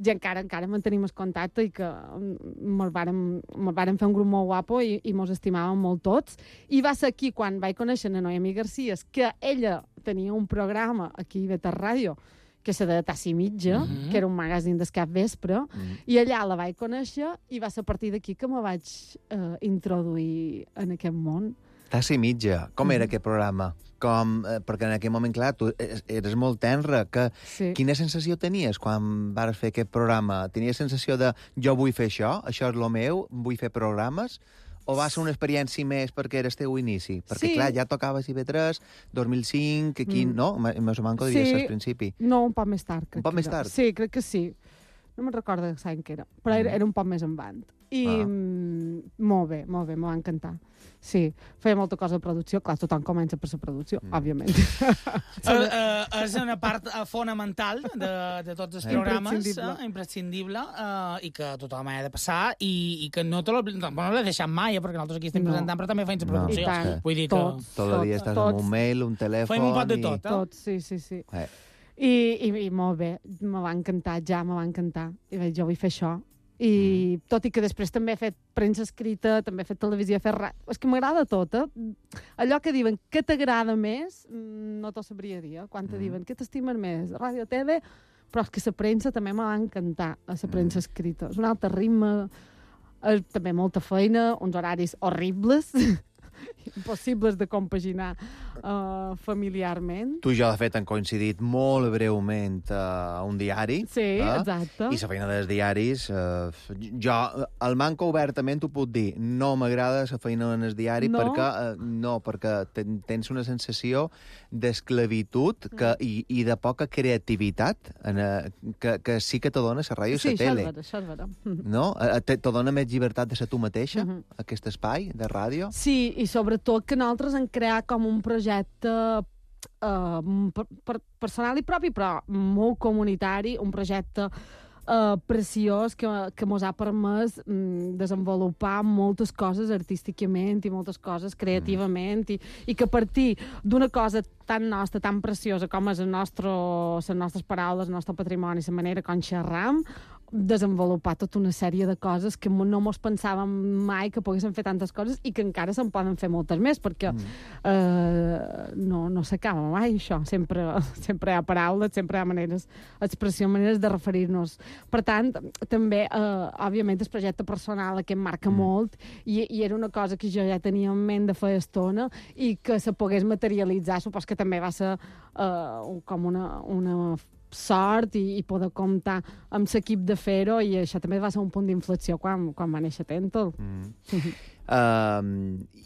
S6: gent que ara encara mantenim el contacte i que ens vàrem, mos vàrem fer un grup molt guapo i, i mos estimàvem molt tots. I va ser aquí quan vaig conèixer a Noemi Garcia, que ella tenia un programa aquí a I V tres Ràdio, que se deia Tassi Mitja, mm -hmm. que era un magazín del cap vespre, mm -hmm. i allà la vaig conèixer i va ser a partir d'aquí que me vaig eh, introduir en aquest món.
S4: Tassi Mitja, com era mm -hmm. aquest programa? Com, eh, perquè en aquell moment, clar, tu eres molt tenra. Que,
S6: Sí.
S4: Quina sensació tenies quan vas fer aquest programa? Tenies sensació de jo vull fer això, això és lo meu, vull fer programes? O va ser una experiència més perquè era el teu inici? Perquè,
S6: Sí.
S4: clar, ja tocaves I V tres, dos mil cinc, aquí,
S6: Mm.
S4: no? Més o manco diries
S6: Sí.
S4: al principi.
S6: No, un poc més tard. Crec
S4: Un poc
S6: que
S4: més
S6: era.
S4: tard?
S6: Sí, crec que sí. No me'n recordo l'any que era, però era,
S4: Mm.
S6: era un poc més endavant. I
S4: Ah.
S6: mm, molt bé, molt bé, m'ho va encantar. Sí, feia molta cosa de producció. Clar, tothom comença per la producció,
S4: Mm.
S6: òbviament.
S5: Eh, eh, és una part eh, fonamental de, de tots els programes,
S6: Imprescindible.
S5: eh, imprescindible, eh, i que tothom ha de passar, i, i que no te l'he no, no deixat mai, eh, perquè nosaltres aquí estem
S6: No.
S5: presentant, però també feim la
S4: No.
S5: producció.
S6: I tant.
S5: Vull dir que
S6: Tots.
S4: Tot el dia estàs
S6: tots.
S4: amb un mail, un telèfon...
S5: fem un pot de
S4: i-
S5: tot, eh?
S6: Tot, sí, sí, sí.
S4: Eh.
S6: I, i, i molt bé, me va encantar, ja me va encantar. I vaig, jo vull fer això. I mm. tot i que després també he fet premsa escrita, també he fet televisió, he fet ràdio. És que m'agrada tot, eh? Allò que diuen, què t'agrada més, no t'ho sabria dir, eh? Quan te
S4: Mm.
S6: diuen, què t'estimen més, ràdio, T V, però és que la premsa també me va encantar, la premsa escrita. És un altre ritme, és també molta feina, uns horaris horribles, impossibles de compaginar uh, familiarment.
S4: Tu i jo, de fet, han coincidit molt breument a un diari.
S6: Sí,
S4: eh?
S6: exacte.
S4: I la feina dels diaris... Eh, jo, el manco obertament t'ho puc dir. No m'agrada la feina en el diari
S6: No?
S4: perquè, eh, no, perquè ten, tens una sensació d'esclavitud que, i, i de poca creativitat en, eh, que, que sí que te dona la ràdio i
S6: Sí,
S4: la
S6: això és
S4: tele.
S6: vera, això és vera. Mhm.
S4: No? Eh, Te, te dona més llibertat de ser tu mateixa,
S6: Mhm.
S4: aquest espai de ràdio?
S6: Sí, i sobretot que nosaltres hem creat com un projecte uh, per, per, personal i propi, però molt comunitari, un projecte uh, preciós que, que mos ha permès um, desenvolupar moltes coses artísticament i moltes coses creativament mm. i, i que a partir d'una cosa tan nostra, tan preciosa com és el nostre, les nostres paraules, el nostre patrimoni, la manera com xerram, desenvolupar tota una sèrie de coses que no mos pensàvem mai que poguéssim fer tantes coses i que encara se'n poden fer moltes més, perquè mm. eh, no, no s'acaba mai això. Sempre, sempre hi ha paraules, sempre hi ha maneres, expressió, maneres de referir-nos. Per tant, també, eh, òbviament, el projecte personal que em marca mm. molt i, i era una cosa que jo ja tenia en ment de fer estona i que se pogués materialitzar, supos que també va ser eh, com una, una sort i, i poder comptar amb l'equip de fer-ho, i això també va ser un punt d'inflexió quan, quan va néixer Tentol.
S4: Mm. uh,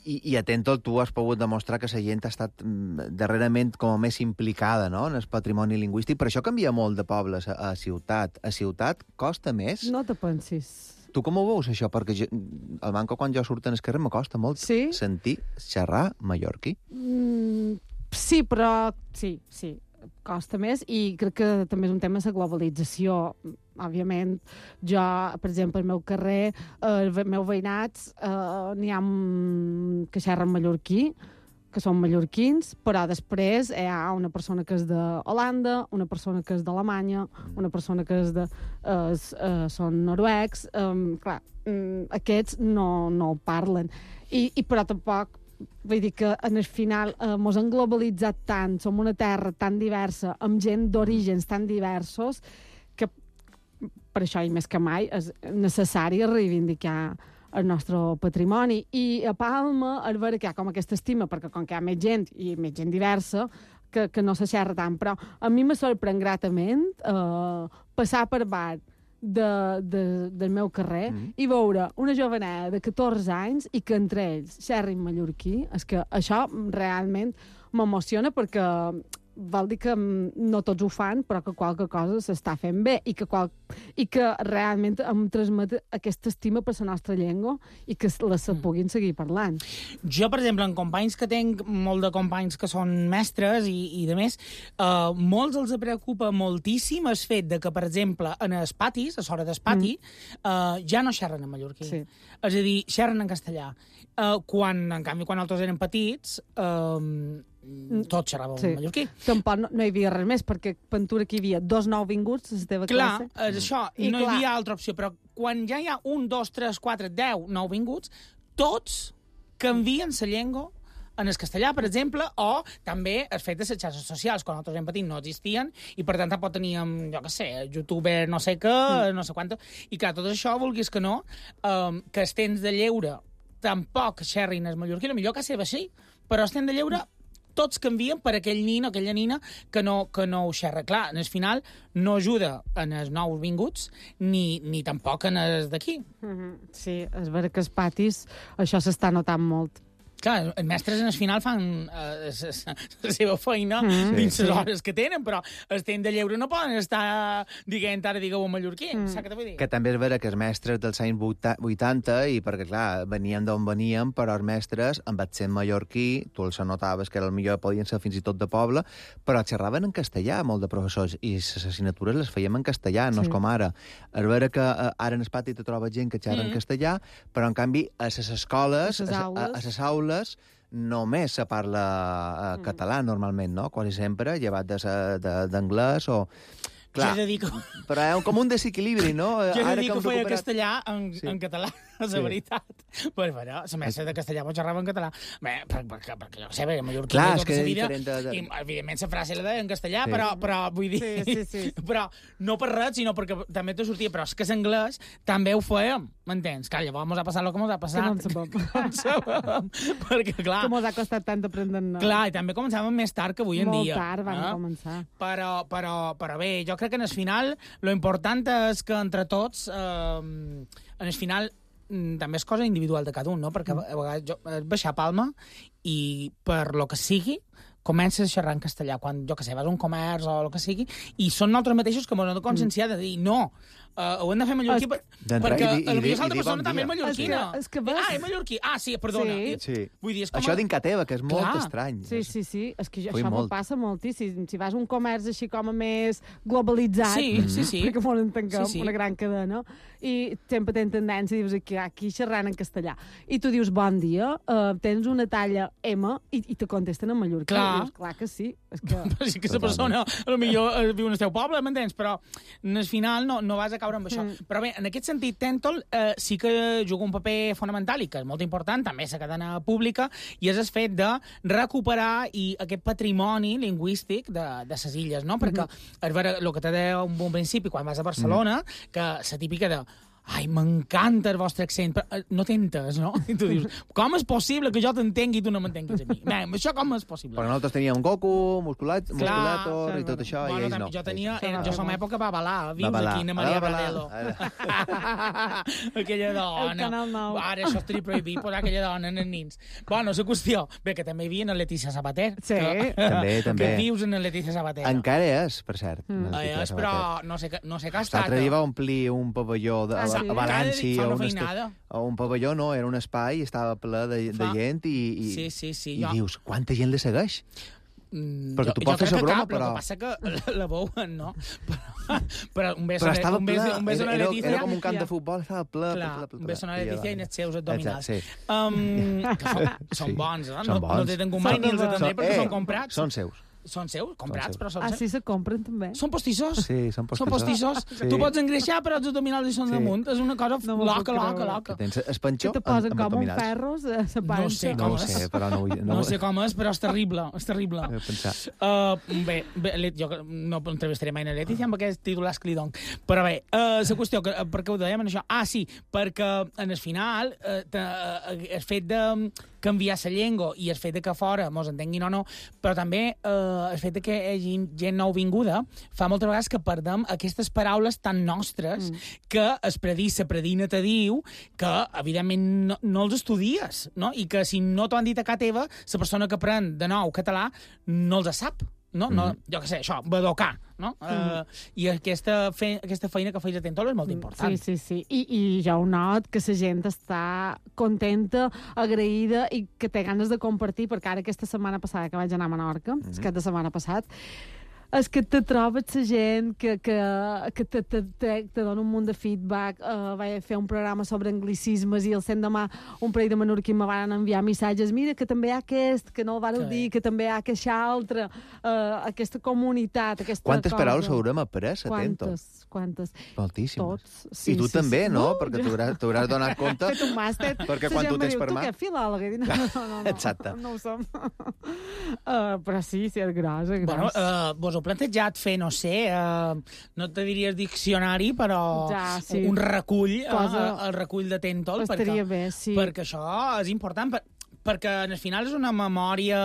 S4: i, I a Tentol tu has pogut demostrar que la gent ha estat mm, darrerament com a més implicada, no?, en el patrimoni lingüístic, però això canvia molt de pobles a, a ciutat. A ciutat costa més?
S6: No te pensis.
S4: Tu com ho veus, això? Perquè jo, el manco quan jo surto en el carrer me costa molt
S6: Sí?
S4: sentir xerrar mallorquí.
S6: Mm, sí, però sí, sí, costa més, i crec que també és un tema de la globalització. Òbviament, jo, per exemple, al meu carrer, eh, els meus veïnats, eh, n'hi ha que xerren mallorquí, que són mallorquins, però després hi ha una persona que és d'Holanda, una persona que és d'Alemanya, una persona que és de, eh, eh, són noruecs. Eh, clar, mm, aquests no, no el parlen. I, i però tampoc, vull dir que en el final eh, mos han globalitzat tant, som una terra tan diversa, amb gent d'orígens tan diversos, que per això, i més que mai, és necessari reivindicar el nostre patrimoni. I a Palma, és vera que hi ha com aquesta estima, perquè com que hi ha més gent, i més gent diversa, que, que no se xerra tant, però a mi me sorprèn gratament eh, passar per bar de, de, del meu carrer mm. i veure una joveneta de catorze anys i que entre ells xerrin mallorquí. És que això realment m'emociona perquè vol dir que no tots ho fan, però que qualque cosa s'està fent bé i que, qual... i que realment em transmet aquesta estima per la nostra llengua i que la se puguin seguir parlant.
S5: Jo, per exemple, en companys que tenc, molt de companys que són mestres i, i de més, eh, molts els preocupa moltíssim el fet de que, per exemple, en els patis, a l'hora del pati, mm. eh, ja no xerren en mallorquí. Sí. És a dir, xerren en castellà. Eh, quan, en canvi, quan nosaltres érem petits, eh, tots xerràvem sí. en mallorquí.
S6: Tampoc no, no hi havia res més, perquè pentura que hi havia dos nouvinguts a la teva
S5: clar,
S6: classe.
S5: Clar, és això, i no clar. Hi havia altra opció, però quan ja hi ha un, dos, tres, quatre, deu nouvinguts, tots canvien la llengua en el castellà, per exemple, o també el fet de les xarxes socials, quan nosaltres érem petits no existien, i per tant tampoc teníem, jo què sé, youtuber no sé què, mm. no sé quant... I clar, tot això, vulguis que no, um, que els temps de lleure tampoc xerrin el mallorquí, millor que seva sí, però els temps de lleure tots canvien per aquell nin o aquella nina que no, que no ho xerra. Clar, en el final no ajuda en els nous vinguts ni, ni tampoc en els d'aquí.
S6: Mm-hmm. Sí, és vera que els patis això s'està notant molt.
S5: Clar, els mestres en el final fan uh, la seva feina mm. dins les sí. hores que tenen, però el temps de lleure no poden estar dient ara digueu en mallorquí. Mm. Saps què t'ho vull dir?
S4: Que també és vera que els mestres dels anys vuitanta, i perquè, clar, veníem d'on veníem, però els mestres, amb accent mallorquí, tu els notaves que el millor podien ser fins i tot de poble, però xerraven en castellà, molt de professors, i les assignatures les fèiem en castellà, no sí. és com ara. És vera que uh, ara en el pati te trobes gent que xerra mm. en castellà, però, en canvi, a les escoles, a les aules, a les aules només se parla uh, mm. català, normalment, no? Quasi sempre, llevat d'anglès o... Clar,
S5: jo he de dir que...
S4: però hi ha com un desequilibri, no?
S5: Jo he de
S4: Ara
S5: dir que, que feia recuperat... castellà en,
S4: sí.
S5: en català, és la sí. veritat. Però, bueno, la mestra de castellà pot xerrar en català. Bé, perquè, perquè, perquè jo sé, perquè a mallorquí
S4: clar,
S5: tota la vida,
S4: de, de...
S5: i evidentment la frase la deia en castellà, sí. però, però vull dir...
S6: Sí, sí, sí.
S5: Però no per res, sinó perquè també te sortia, però és que l'anglès també ho fèiem, m'entens? Clar, llavors mos ha passat el que mos ha passat.
S6: Que no en sabem.
S5: Perquè, clar...
S6: Que mos ha costat tant aprendre. No?
S5: Clar, i també començàvem més tard que avui en
S6: Molt
S5: dia.
S6: Molt tard van
S5: eh?
S6: començar.
S5: Però, però, però bé, jo crec que en el final lo important és que entre tots, eh, en el final, també és cosa individual de cada un, no? Perquè a vegades jo vaig baixar a Palma i per lo que sigui comences a xerrar en castellà, quan, jo que sé, vas a un comerç o el que sigui, i són nosaltres mateixos que ens hem de conscienciar de dir, no, uh, ho hem de fer mallorquí, per, perquè
S4: i, i,
S5: potser l'altra
S4: bon
S5: persona
S4: dia.
S5: també és mallorquina.
S6: És que, és que vas...
S5: Ah, és mallorquí. Ah, sí, perdona.
S6: Sí.
S4: Sí.
S5: Vull dir, és com...
S4: Això d'Inca Teva, que és molt
S5: clar.
S4: estrany.
S6: Sí, sí, sí. És que jo,
S4: Fui
S6: això
S4: molt.
S6: m'ho passa moltíssim. Si vas a un comerç així com a més globalitzat,
S5: sí, sí, sí.
S6: perquè molt entenguem,
S5: sí, sí.
S6: una gran cadena, i sempre tens tendència, dius aquí, aquí xerrant en castellà. I tu dius, bon dia, uh, tens una talla M, i, i te contesten en mallorquí.
S5: Clar.
S6: Dius, clar que sí. És que...
S5: Però sí que la persona, potser viu en el teu poble, m'entens? Però al final no, no vas a caure amb això. Mm. Però bé, en aquest sentit, Tentol eh, sí que juga un paper fonamental i que és molt important, també la cadena pública, i és el fet de recuperar i aquest patrimoni lingüístic de, de les illes, no? Perquè, mm-hmm. és vera, el que t'he dit un bon principi, quan vas a Barcelona, mm. que la típica de ai, m'encanta el vostre accent, però no t'entes, no? I tu dius, com és possible que jo t'entengui i tu no m'entenguis a mi? Bé, això com és possible?
S4: Perquè nosaltres teníem Goku, musculat,
S5: clar,
S4: musculator i tot això,
S5: bueno,
S4: i ells no.
S5: Jo tenia, era, jo som època Babalà, vius
S4: Babalà.
S5: aquí, Ana Maria
S4: Babalà.
S5: Radelo. Aquella dona.
S6: El Canal nou.
S5: Ara això estaria prohibit posar aquella dona en els nins. Bueno, la qüestió, bé, que també hi havia en Letícia Sabater.
S6: Sí.
S5: Que,
S4: també, també.
S5: Que vius en Letícia Sabater.
S4: Encara és, per cert.
S5: Mm. És, però no sé, no sé què ha estat.
S4: L'altre dia va omplir un pavelló de,
S6: ah, sí?
S4: a València.
S5: Fa una
S4: un,
S5: feinada.
S4: un pavelló, no, era un espai, estava ple de, de gent i, i,
S5: sí, sí, sí,
S4: i
S5: jo...
S4: dius, quanta gent li segueix?
S5: Mm,
S4: perquè
S5: jo,
S4: tu pots fer la broma,
S5: cap,
S4: però...
S5: El que passa que la, la veuen, no? Però, però un beso,
S4: però estava
S5: un
S4: ple,
S5: beso, un beso
S4: era,
S5: era, Letícia,
S4: era com un camp de futbol, estava ple,
S5: clar,
S4: ple, ple, ple,
S5: un beso a Letícia i els seus abdominals.
S4: Exacte, sí.
S5: Um, que són, són
S4: sí,
S5: bons, eh?
S4: Són
S5: no,
S4: bons.
S5: no t'he tingut mai ni els atendré perquè
S4: eh,
S5: són comprats.
S4: Són seus.
S5: Són seus, comprats,
S4: seus.
S5: però són
S6: Ah,
S5: seus.
S6: sí, se compren també?
S5: Són postissos.
S4: Sí, són postissos.
S5: Són postissos.
S4: Sí.
S5: Tu pots engreixar, però els abdominals hi són
S4: Sí.
S5: damunt. És una cosa
S6: No m'ho
S5: loca,
S6: puc
S5: loca,
S6: creure.
S5: loca.
S4: Que tens espanxó
S6: Que te posen
S4: amb
S6: com un
S4: abdominals.
S6: ferros a la panxa.
S5: No sé
S4: No
S5: com
S4: ho
S5: és.
S4: sé, però no vull...
S5: No sé com és, però és terrible, és terrible.
S4: He pensar.
S5: Uh, bé, bé, jo no entrevistaré mai a Letícia amb aquest titulars que li dono. Però bé, uh, la qüestió, que, per què ho dèiem en això? Ah, sí, perquè en el final uh, el fet de canviar la llengua i el fet de que fora mos entenguin o no, però també eh, el fet de que hi hagi gent nouvinguda fa moltes vegades que perdem aquestes paraules tan nostres mm. que es predís, la predina te diu que, evidentment, no, no els estudies, no? I que si no t'ho han dit a casa teva, la persona que aprèn de nou català no els sap. No? No, mm. jo què sé, això, badocar, no? Mm. Uh, I aquesta, fe, aquesta feina que feis a Tentol és molt important.
S6: Sí, sí, sí. I, i jo ho not, que la gent està contenta, agraïda i que té ganes de compartir, perquè ara aquesta setmana passada que vaig anar a Menorca, mm. aquest de setmana passat, és que te trobes la gent que, que, que te, te, te, te dona un munt de feedback. Uh, vaig fer un programa sobre anglicismes i el cent demà un parell de menorquins me van enviar missatges. Mira, que també hi ha aquest, que no el vareu dir, que també hi ha aquest altre, uh, aquesta comunitat, aquesta
S4: Quantes
S6: cosa.
S4: paraules haurem après, atento?
S6: Quantes, quantes?
S4: Moltíssimes.
S6: Tots. Sí,
S4: I tu
S6: sí,
S4: també,
S6: sí.
S4: no?
S6: no
S4: perquè
S6: jo...
S4: t'hauràs donat compte.
S6: Fet un màster.
S4: Perquè
S6: La
S4: quan
S6: gent
S4: tu
S6: me
S4: tens
S6: diu,
S4: per mà...
S6: Tu què, filòleg? No, no, no, no.
S4: Exacte.
S6: No ho som. Uh, però sí, sí, és gros, és gros.
S5: Bueno, uh, vos heu plantejat fer, no sé, uh, no te diries diccionari, però
S6: ja, sí.
S5: un recull,
S6: Cosa...
S5: uh, el recull de Tentol,
S6: Estaria
S5: perquè,
S6: bé, sí.
S5: perquè això és important, per, perquè al final és una memòria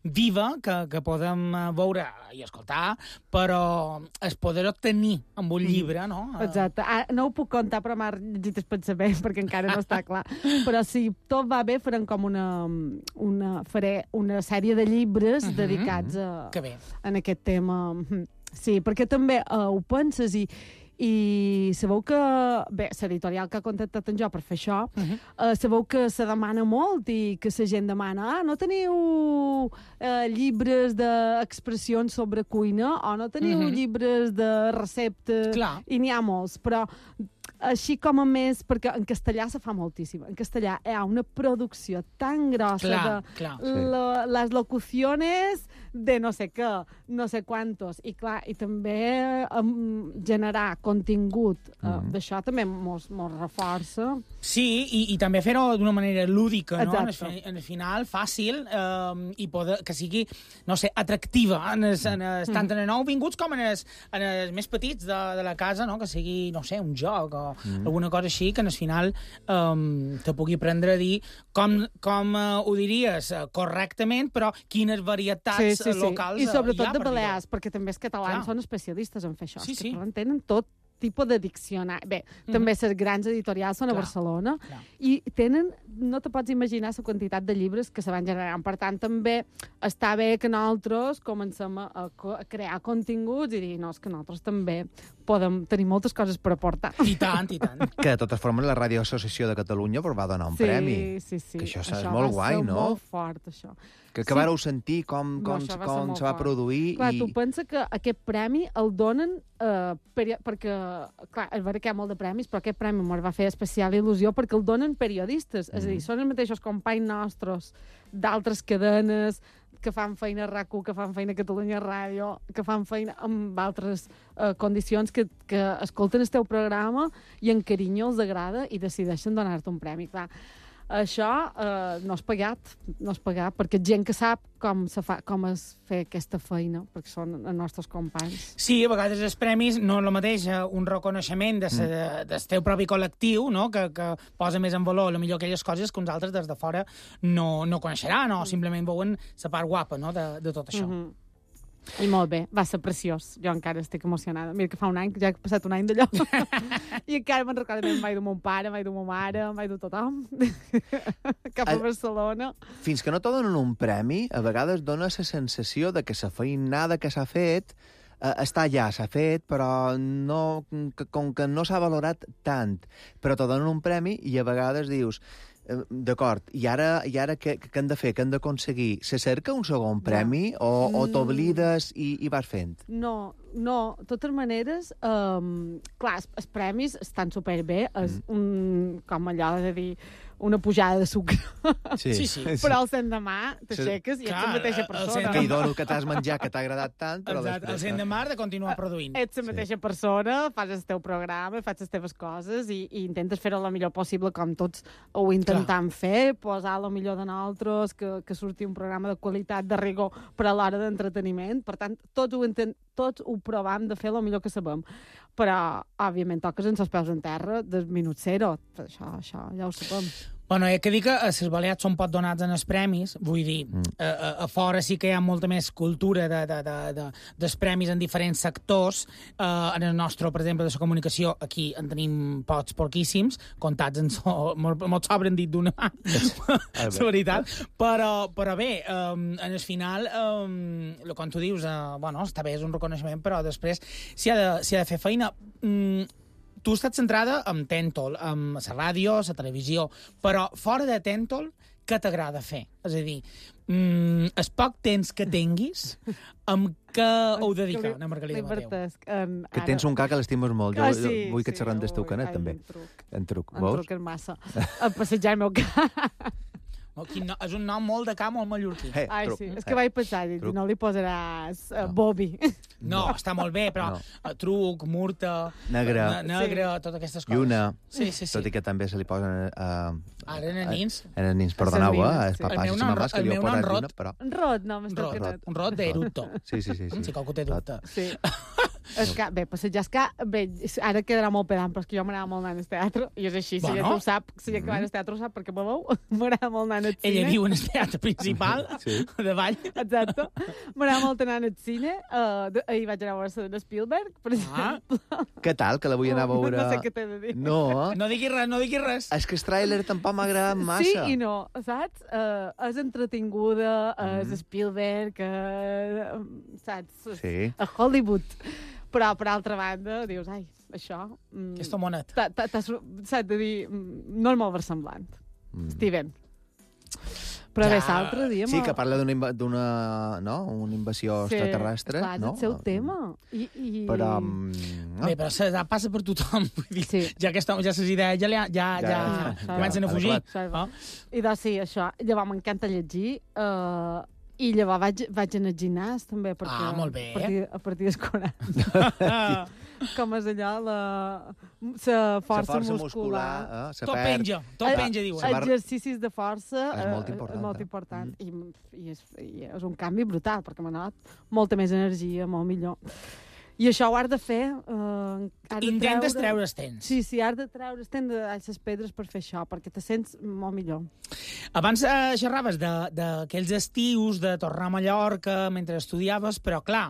S5: viva que, que podem veure i escoltar, però es poder obtenir amb un llibre, no?
S6: Exacte. Ah, no ho puc contar, però m'ha llegit el pensament, perquè encara no està clar. Però si tot va bé, farem com una, una, faré una sèrie de llibres uh-huh. dedicats a,
S5: que bé.
S6: en aquest tema. Sí, perquè també uh, ho penses i, i sabeu que... Bé, l'editorial que ha contactat en jo per fer això, uh-huh. uh, sabeu que se demana molt i que la gent demana ah, no teniu uh, llibres d'expressions sobre cuina o no teniu uh-huh. llibres de receptes...
S5: Clar.
S6: I n'hi ha molts, però així com a més, perquè en castellà se fa moltíssim. En castellà hi ha una producció tan grossa
S5: clar,
S6: de
S5: clar.
S6: Lo, les locuciones de no sé què, no sé quantos. I clar, i també um, generar contingut uh, mm. d'això també mos, mos reforça.
S5: Sí, i, i també fer-ho d'una manera lúdica, no? En el, en el final, fàcil, eh, i poder, que sigui, no sé, atractiva, en els, en els, tant en els nouvinguts com en els, en els més petits de, de la casa, no? Que sigui, no sé, un joc o mm. alguna cosa així, que en el final eh, te pugui prendre a dir com, com eh, ho diries eh, correctament, però quines varietats sí, sí, sí. locals
S6: I sobretot
S5: hi ha.
S6: de Balears, perquè també els catalans Clar. són especialistes en fer això.
S5: Sí,
S6: els
S5: sí.
S6: catalans tenen tot tipus de diccionari. Bé, mm-hmm. també les grans editorials són
S5: Clar.
S6: a Barcelona
S5: Clar.
S6: i tenen, no te pots imaginar la quantitat de llibres que se van generant. Per tant, també està bé que nosaltres comencem a, a crear continguts i dir, no, és que nosaltres també podem tenir moltes coses per aportar.
S5: I tant, i tant.
S4: Que de totes formes la Radio Associació de Catalunya va donar un
S6: sí,
S4: premi.
S6: Sí, sí.
S4: Que això,
S6: això
S4: és molt guai, no?
S6: molt fort, això.
S4: Que, que
S6: sí.
S4: vareu sentir com, com,
S6: no,
S4: com se va
S6: fort.
S4: produir.
S6: Clar,
S4: i...
S6: tu pensa que aquest premi el donen eh, per, perquè, clar, és vera que hi ha molt de premis, però aquest premi m'ho va fer especial il·lusió perquè el donen periodistes. Mm. És a dir, són els mateixos companys nostres d'altres cadenes que fan feina a RAC u, que fan feina a Catalunya Ràdio, que fan feina amb altres eh, condicions, que, que escolten el teu programa i en carinyo els agrada i decideixen donar-te un premi. Clar, això eh, no és pagat, no és pagat, perquè gent que sap com, se fa, com es fer aquesta feina, perquè són els nostres companys.
S5: Sí, a vegades els premis no és el mateix un reconeixement de se, mm. del teu propi col·lectiu, no? que, que posa més en valor, potser aquelles coses que uns altres des de fora no, no coneixeran, o mm. simplement veuen la part guapa, no? de, de tot això.
S6: Mm-hmm. I molt bé, va ser preciós. Jo encara estic emocionada. Mira que fa un any, que ja he passat un any d'allò. I encara me'n recordo, em vaig dur mon pare, em vaig dur ma mare, em vaig dur tothom cap a Barcelona.
S4: Fins que no te donen un premi, a vegades dona la sensació de que la feinada que s'ha fet eh, està allà, s'ha fet, però no, que, com que no s'ha valorat tant. Però te donen un premi i a vegades dius... D'acord, i ara, i ara què, què hem de fer? Què hem d'aconseguir? Se cerca un segon premi no. o, o t'oblides i, i vas fent?
S6: No, no. De totes maneres, um, clar, els, els premis estan superbé. És mm. un, com allò de dir, una pujada de sucre.
S4: Sí, sí. sí.
S6: Però el l'endemà t'aixeques i ets la mateixa persona.
S4: Que hi dono que t'has menjat, que t'ha agradat tant, però
S5: Exacte.
S4: després...
S5: El l'endemà de continuar produint.
S6: Ets la mateixa sí. persona, fas el teu programa, fas les teves coses i, i intentes fer-ho el millor possible, com tots ho intentem Clar. fer, posar el millor de nosaltres, que, que surti un programa de qualitat, de rigor, per a l'hora d'entreteniment. Per tant, tots ho, intent, tots ho provam de fer el millor que sabem. Però, òbviament, toques ens els peus en terra del minut zero. Això, això ja ho sabem.
S5: Bueno, he de dir que a les Balears són poc donats en els premis, vull dir, mm. a, a, a fora sí que hi ha molta més cultura de, de, de, de, dels premis en diferents sectors. Uh, en el nostre, per exemple, de la comunicació, aquí en tenim pocs, poquíssims, comptats en so, molt, molt sobren dit d'una mà, la veritat. Però, però bé, um, en el final, um, com tu dius, uh, bueno, està bé, és un reconeixement, però després s'hi ha, ha de fer feina. Mm, Tu has estat centrada en Tentol, en la ràdio, la televisió, però fora de Tentol, què t'agrada fer? És a dir, mm, el poc temps que tinguis, amb què ho dedica a Margalida Mateu?
S4: Que tens un ca que l'estimes molt. Jo
S6: ah, sí,
S4: vull que et
S6: sí,
S4: xerrem del teu canet,
S6: ai,
S4: també.
S6: En truc.
S4: En truc,
S6: en
S4: veus?
S6: En truc és massa. A passejar el meu ca.
S5: No, és un nom molt de ca, molt mallorquí.
S4: Hey,
S6: Ai,
S4: truc.
S6: sí, és que vaig pensar, dic, no li posaràs uh, Bobby.
S5: No, està molt bé, però
S4: No.
S5: uh, truc, murta,
S4: Negre.
S5: ne negre, sí. Totes aquestes coses.
S4: Lluna.
S5: Sí, sí, sí.
S4: Tot i que també se li posen... Uh,
S5: Ara, en els nins.
S4: En els nins, perdoneu, eh? Els
S6: sí.
S4: papàs
S5: El
S4: i
S5: meu
S4: les
S5: nom-
S4: mamàs que
S5: el
S4: li
S5: meu
S4: heu
S5: nom
S4: posat
S5: Rot.
S4: lluna, però...
S6: Un rot, no,
S5: Un
S6: m'està
S5: rot,
S6: canet.
S5: un rot d'eructo.
S4: Sí, sí, sí. sí.
S5: Si qualcú té dubte.
S6: Sí. És que, bé, passejar és que, bé, ara quedarà molt pedant, però és que jo m'agrada molt anar al teatre, i és així, si
S5: Bueno.
S6: ja tu ho sap, si ja que va al teatre ho sap, perquè me veu, m'agrada molt anar al cine.
S5: Ella viu en el teatre principal,
S4: Sí.
S5: de Vall.
S6: Exacte. M'agrada molt anar al cine. Uh, de, ahir vaig anar a veure de Spielberg, per
S5: Ah.
S6: exemple.
S4: Què tal, que la vull anar a veure...
S6: No sé què t'he de dir.
S4: No,
S5: No diguis res, no diguis res.
S4: és que el tràiler tampoc m'ha agradat massa.
S6: Sí i no, saps? Uh, és entretinguda, és
S4: Mm.
S6: Spielberg, uh, saps?
S4: Sí.
S6: A Hollywood. Però, per altra banda, dius, ai, això... Mm,
S5: Aquesta monet.
S6: t'ha- t'ha- t'has- Saps de dir, mm, no és molt versemblant.
S4: Mm.
S6: Steven. Però
S5: Ja.
S6: bé, l'altre dia...
S4: Sí,
S6: me-
S4: que parla d'una inva- d'una no? una invasió
S6: Sí,
S4: extraterrestre,
S6: clar, és
S4: no?
S6: el seu tema. I, i...
S4: Però... mm, No?
S5: Bé, però se, passa per tothom. Vull dir,
S6: Sí.
S5: ja aquesta, ja ses idees ja, li ha- ja, ja,
S4: Ja,
S5: ja,
S6: ja,
S5: comencen a fugir.
S6: ja.
S5: Ah.
S6: I doncs sí, això. Llavors m'encanta llegir. Uh, I llavors vaig, vaig anar al gimnàs, també, perquè...
S5: Ah, molt bé.
S6: A partir, a partir dels quaranta. Com és allò, la, la força,
S4: força
S6: muscular.
S4: muscular eh, se
S5: Tot
S4: perd.
S5: penja, tot
S6: Eh,
S5: penja, diuen.
S4: Se va-
S6: Exercicis de força
S4: És molt
S6: eh,
S4: important,
S6: és molt
S4: eh?
S6: important. I, i, és, I és un canvi brutal, perquè m'ha donat molta més energia, molt millor. I això ho has de fer... Eh, has de
S5: Intentes
S6: treure...
S5: treure's temps.
S6: Sí, sí, has de treure, has de les pedres per fer això, perquè te sents molt millor.
S5: Abans eh, xerraves de- d'aquells estius, de tornar a Mallorca mentre estudiaves, però clar,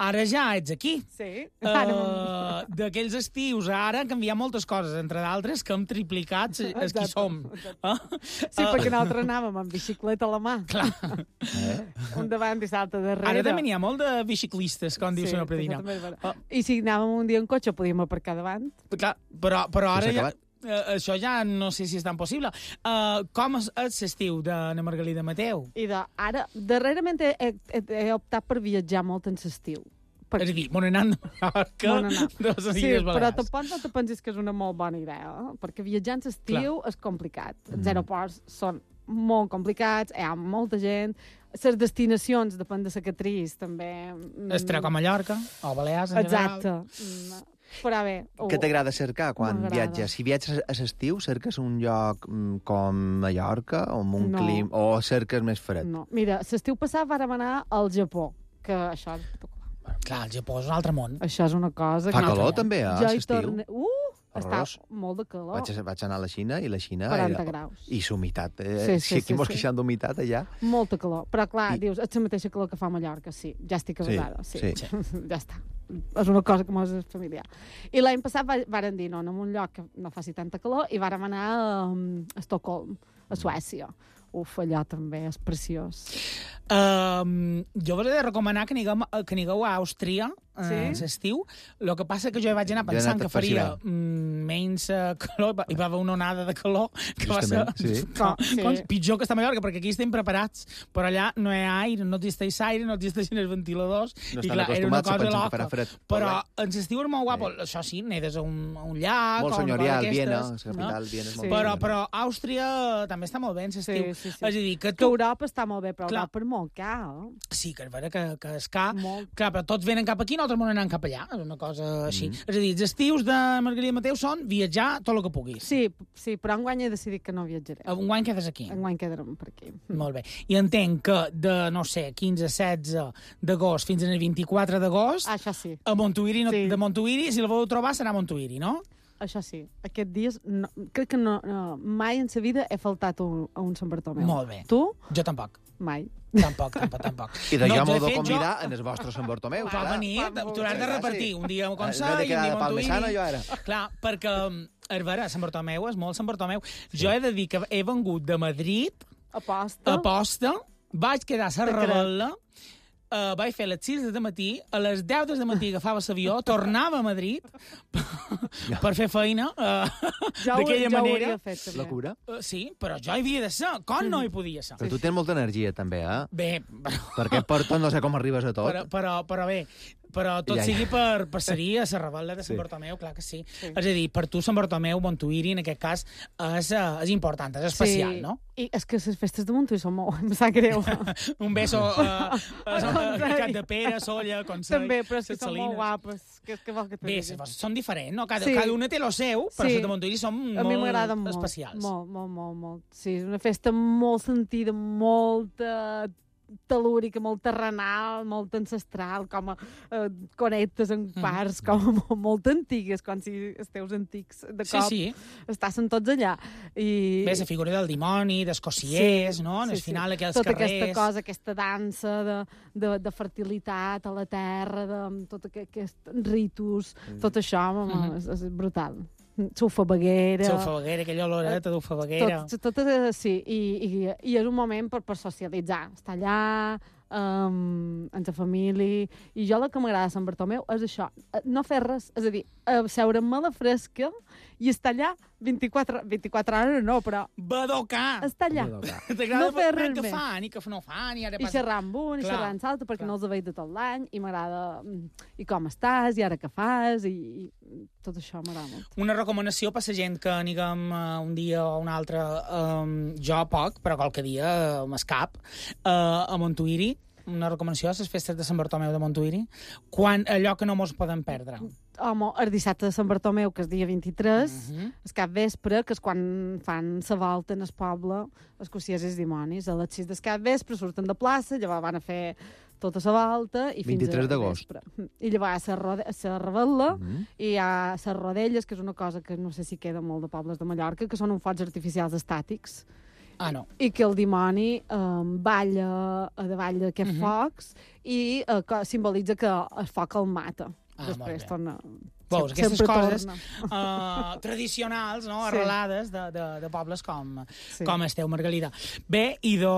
S5: ara ja ets aquí.
S6: Sí.
S5: Uh, d'aquells estius, ara han canviat moltes coses, entre d'altres que hem triplicat els qui
S6: Exacte,
S5: som. Uh,
S6: Sí, perquè nosaltres anàvem amb bicicleta a la mà.
S5: clar,
S4: Eh?
S6: Un davant i l'altre darrere.
S5: ara també n'hi ha molt de biciclistes, com diu
S6: Sí,
S5: senyor Predina.
S6: això també és vera.
S5: Ah.
S6: I si anàvem un dia en cotxe, podíem aparcar davant.
S5: Clar, però, però ara
S4: s'ha
S5: ja,
S4: acabat.
S5: eh, això ja no sé si és tan possible. Uh, com és és l'estiu de na Margalida Mateu?
S6: I de, ara, darrerament he, he, he optat per viatjar molt en l'estiu. Per...
S5: És a dir, bon anant de Mallorca,
S6: Bon anar.
S5: de les
S6: Sí,
S5: Illes
S6: però
S5: Balears.
S6: tampoc no te pensis que és una molt bona idea, eh? Perquè viatjar en l'estiu és complicat. Els aeroports són molt complicats, hi ha molta gent, les destinacions, depèn de la catriz, també... mm,
S5: Es treu a Mallorca, o Balears en
S6: Exacte.
S5: general.
S6: Mm, Però bé... ho-
S4: Què t'agrada cercar quan
S6: M'agrada.
S4: viatges? Si viatges a l'estiu, cerques un lloc mm, com Mallorca, o amb un
S6: No.
S4: clim, o cerques més fred?
S6: No. Mira, l'estiu passat vàrem anar al Japó, que això és espectacular.
S5: Clar, el Japó és un altre món.
S6: Això és una cosa...
S4: Fa
S6: que-
S4: calor, també, a
S6: Jo hi
S4: l'estiu?
S6: torne... Uh! Està
S4: Horrorós.
S6: molt de calor.
S4: Vaig, a- vaig anar a la Xina, i la Xina...
S6: quaranta
S4: era...
S6: graus.
S4: I l'humitat. Eh?
S6: Sí, sí,
S4: si aquí
S6: sí,
S4: mos
S6: sí.
S4: queixant d'humitat, allà...
S6: Molta calor. Però, clar,
S4: I-
S6: dius, és la mateixa calor que fa a Mallorca, sí. Ja estic
S4: Sí,
S6: avasada, sí.
S4: sí.
S6: ja està. És una cosa que mos és familiar. I l'any passat va- varen dir, no, en un lloc que no faci tanta calor, i vàrem anar a, a Estocolm, a Suècia. Uf, allò també és preciós.
S5: Um, jo us he de recomanar que anigueu, que anigueu a Àustria
S6: Sí?
S5: sí? a l'estiu. El que passa que jo hi vaig anar
S4: Jo he
S5: pensant
S4: anat
S5: que
S4: a
S5: faria
S4: Barcelona.
S5: mm, menys uh, calor, hi va haver una onada de calor que va ser
S4: Justament, sí.
S5: com,
S6: Sí.
S5: com, pitjor que està a Mallorca, perquè aquí estem preparats, però allà no hi ha aire, no existeix aire, no existeixen els ventiladors,
S4: No
S5: i
S4: estan
S5: clar, era una
S4: acostumats, se
S5: cosa
S4: pensen que
S5: loca.
S4: farà fred.
S5: Però en l'estiu és molt guapo, això sí, nedes a un, a un llac,
S4: Molt
S5: o una cosa
S4: senyorial,
S5: d'aquestes,
S4: Viena, la
S5: no?
S4: capital, Viena és molt
S6: Sí.
S5: Però,
S4: bona.
S5: però Àustria també està molt bé en l'estiu.
S6: Sí, sí, sí.
S5: És a dir, que
S6: Que
S5: tu...
S6: Europa està molt bé, però
S5: Clar.
S6: Europa és molt car. Eh?
S5: Sí, que és vera que, que és car.
S6: Molt.
S5: Clar, però tots venen cap aquí i nosaltres m'ho anem cap allà. És una cosa així. Mm. És a dir, els estius de Margarida Mateu són viatjar tot el que puguis.
S6: Sí, sí, però enguany he decidit que no viatjaré.
S5: Un guany quedes aquí.
S6: Enguany quedarem per aquí.
S5: Molt bé. I entenc que de, no sé, quinze setze d'agost fins al vint-i-quatre d'agost,
S6: Ah, això sí.
S5: a Montuïri, no,
S6: Sí.
S5: de Montuïri, si la voleu trobar, serà a Montuïri, no?
S6: això sí, aquests dies, no, crec que no, no, mai en sa vida he faltat un, a un Sant Bartomeu.
S5: Molt bé.
S6: Tu?
S5: Jo tampoc.
S6: Mai.
S5: Tampoc, tampoc, tampoc.
S4: I de
S5: No,
S4: jo m'ho
S5: de
S4: de
S5: fet,
S4: convidar en el vostre Sant Bartomeu.
S5: Va venir, t'ho has de repartir. Un dia a Consell, un dia a Montuïri.
S4: jo ara.
S5: Clar, perquè, és vera, Sant Bartomeu és molt Sant Bartomeu. Jo he de dir que he vengut de Madrid,
S6: Aposta.
S5: a posta, vaig quedar a la
S6: Te crec.
S5: Rebel·la, Uh, vaig fer a les sis de matí, a les deu de matí agafava l'avió, tornava a Madrid per fer feina uh,
S6: Jo ho-
S5: d'aquella
S6: jo ho
S5: manera.
S6: hauria fet, també.
S4: La cura?
S5: Uh, sí, però jo hi havia de ser. Com no hi podia ser?
S4: Però tu tens molta energia, també, eh?
S5: Bé, però,
S4: Perquè per tot no sé com arribes a tot.
S5: però, però, però bé, però tot
S4: Ja, ja.
S5: sigui per, per ser a la Rebel·la de Sant
S4: Sí.
S5: Bartomeu, clar que sí. És a dir, per tu Sant Bartomeu, Montuïri, en aquest cas, és, uh, és important, és especial,
S6: sí.
S5: no?
S6: I és que les festes de Montuïri són molt... Em sap greu.
S5: Un beso uh, a, a, a Cap de Pere, Solla, Consell,
S6: També, però és que
S5: Ses
S6: són
S5: Salines.
S6: molt guapes. Que, que vol que te
S5: Bé,
S6: digui?
S5: les són diferents, no? Cada,
S6: Sí.
S5: cada una té lo seu, però
S6: Sí.
S5: les de Montuïri són
S6: A mi
S5: molt
S6: m'agraden molt.
S5: especials.
S6: Molt, molt, molt, molt. Sí, és una festa molt sentida, molta telúrica, molt terrenal, molt ancestral, com a eh, connectes en
S5: Mm.
S6: parts, com a molt, molt antigues, com si els teus antics de
S5: Sí,
S6: cop
S5: sí.
S6: estaven tots allà. I...
S5: Bé, la figura del dimoni, dels cossiers,
S6: Sí,
S5: no? En
S6: sí,
S5: el
S6: sí.
S5: final, aquells
S6: tota
S5: carrers...
S6: aquesta cosa, aquesta dansa de, de, de fertilitat a la terra, de tot aquest, aquest ritus, tot això, home,
S5: Mhm.
S6: és, és brutal. Sofabaguera...
S5: Sofabaguera, aquella oloreta d'ofabaguera.
S6: Tot, tot, tot, sí, i, i, i és un moment per, per socialitzar. Estar allà, um, amb la família... I jo el que m'agrada de Sant Bartomeu és això, eh, no fer res, és a dir, seure-me a la fresca i estar allà vint-i-quatre, vint-i-quatre hores, no, però
S5: Badocar!
S6: estar allà.
S5: T'agrada
S6: No fer
S5: veure
S6: res
S5: què
S6: més.
S5: fan i què no fan i ara
S6: I
S5: passa...
S6: xerrar amb un, i
S5: Clar,
S6: xerrar amb l'altre, perquè
S5: clar.
S6: no els veig de tot l'any, i m'agrada... mm, I com estàs, i ara què fas, i, i tot això m'agrada molt.
S5: Una recomanació per la gent que aniguem uh, un dia o un altre, um, jo poc, però qualque dia uh, m'escap, uh, a Montuïri, una recomanació a les festes de Sant Bartomeu de Montuïri, quan, allò que no mos podem perdre.
S6: Home, el dissabte de Sant Bartomeu, que és dia vint-i-tres,
S5: Uh -huh.
S6: el cap vespre, que és quan fan la volta en el poble, els cossiers i els dimonis. A les sis del cap vespre surten de plaça, llavors van a fer tota la volta i fins
S4: vint-i-tres
S6: a
S4: d'agost.
S6: vespre. I llavors a la rode- a la Rebel·la
S4: Mhm.
S6: i hi ha les rodelles, que és una cosa que no sé si queda molt de pobles de Mallorca, que són uns focs artificials estàtics,
S5: Ah, no.
S6: i que el dimoni um, balla a davall d'aquests
S5: Mhm.
S6: focs i uh, que simbolitza que el foc el mata.
S5: Ah,
S6: Després
S5: molt bé.
S6: torna...
S5: Veus,
S6: sempre
S5: aquestes coses
S6: torna.
S5: uh, tradicionals, no?
S6: Sí.
S5: Arrelades de, de, de pobles com,
S6: Sí.
S5: com esteu, Margalida. Bé, i do...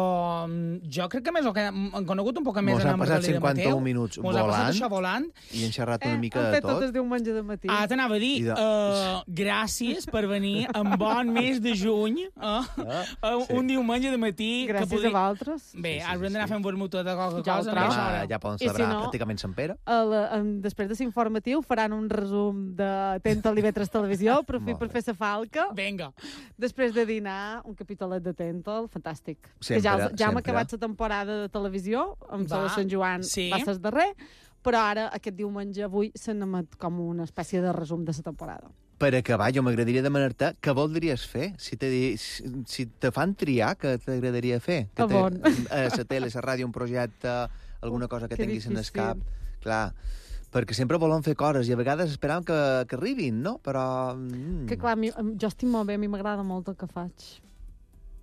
S5: jo crec que més o que hem conegut un poc més
S4: Mos
S5: de la
S4: han passat
S5: Margalida
S4: cinquanta-un
S5: Mateu.
S4: minuts
S5: Mos ha passat
S4: volant.
S5: això volant.
S4: I hem xerrat
S6: Eh,
S4: una mica
S6: han
S4: de
S6: fet tot
S4: tot.
S6: el diumenge de matí.
S5: Ah, t'anava a dir,
S4: I de-
S5: uh, gràcies per venir en bon mes de juny, uh,
S4: Ah,
S5: uh,
S4: sí.
S5: un diumenge de matí.
S6: Gràcies
S5: que podri...
S6: a vosaltres.
S5: Bé,
S4: Sí, sí,
S5: ara
S4: sí,
S5: hem d'anar
S4: sí.
S5: fent vermutet de qualque
S6: Ja ho
S5: cosa.
S6: trobo.
S5: no?
S4: Demà ja poden
S6: I si
S4: celebrar
S6: no-
S4: pràcticament Sant Pere.
S6: A la, en, després de l'informatiu faran un resum de Atenta a Livetres Televisió, aprofit
S4: Molt
S6: per
S4: bé.
S6: fer la falca.
S5: Vinga.
S6: Després de dinar, un capítolet de Tentol, fantàstic.
S4: Sempre,
S6: que ja, els- ja hem
S4: sempre.
S6: acabat la temporada de televisió, amb
S5: Va,
S6: la de Sant Joan
S5: sí.
S6: va ser el darrer, però ara, aquest diumenge, avui, se n'emet com una espècie de resum de la temporada.
S4: Per acabar, jo m'agradaria demanar-te què voldries fer? Si te, di- si, si te fan triar, què t'agradaria fer? Que
S6: A
S4: te-
S6: on?
S4: A la tele, a la ràdio, un projecte, alguna cosa que
S6: que
S4: tinguis en el
S6: difícil.
S4: cap. Clar, perquè sempre volem fer coses i a vegades esperam que, que arribin, no? Però... Mm.
S6: Que clar, a mi, em- jo estic molt bé, a mi m'agrada molt el que faig.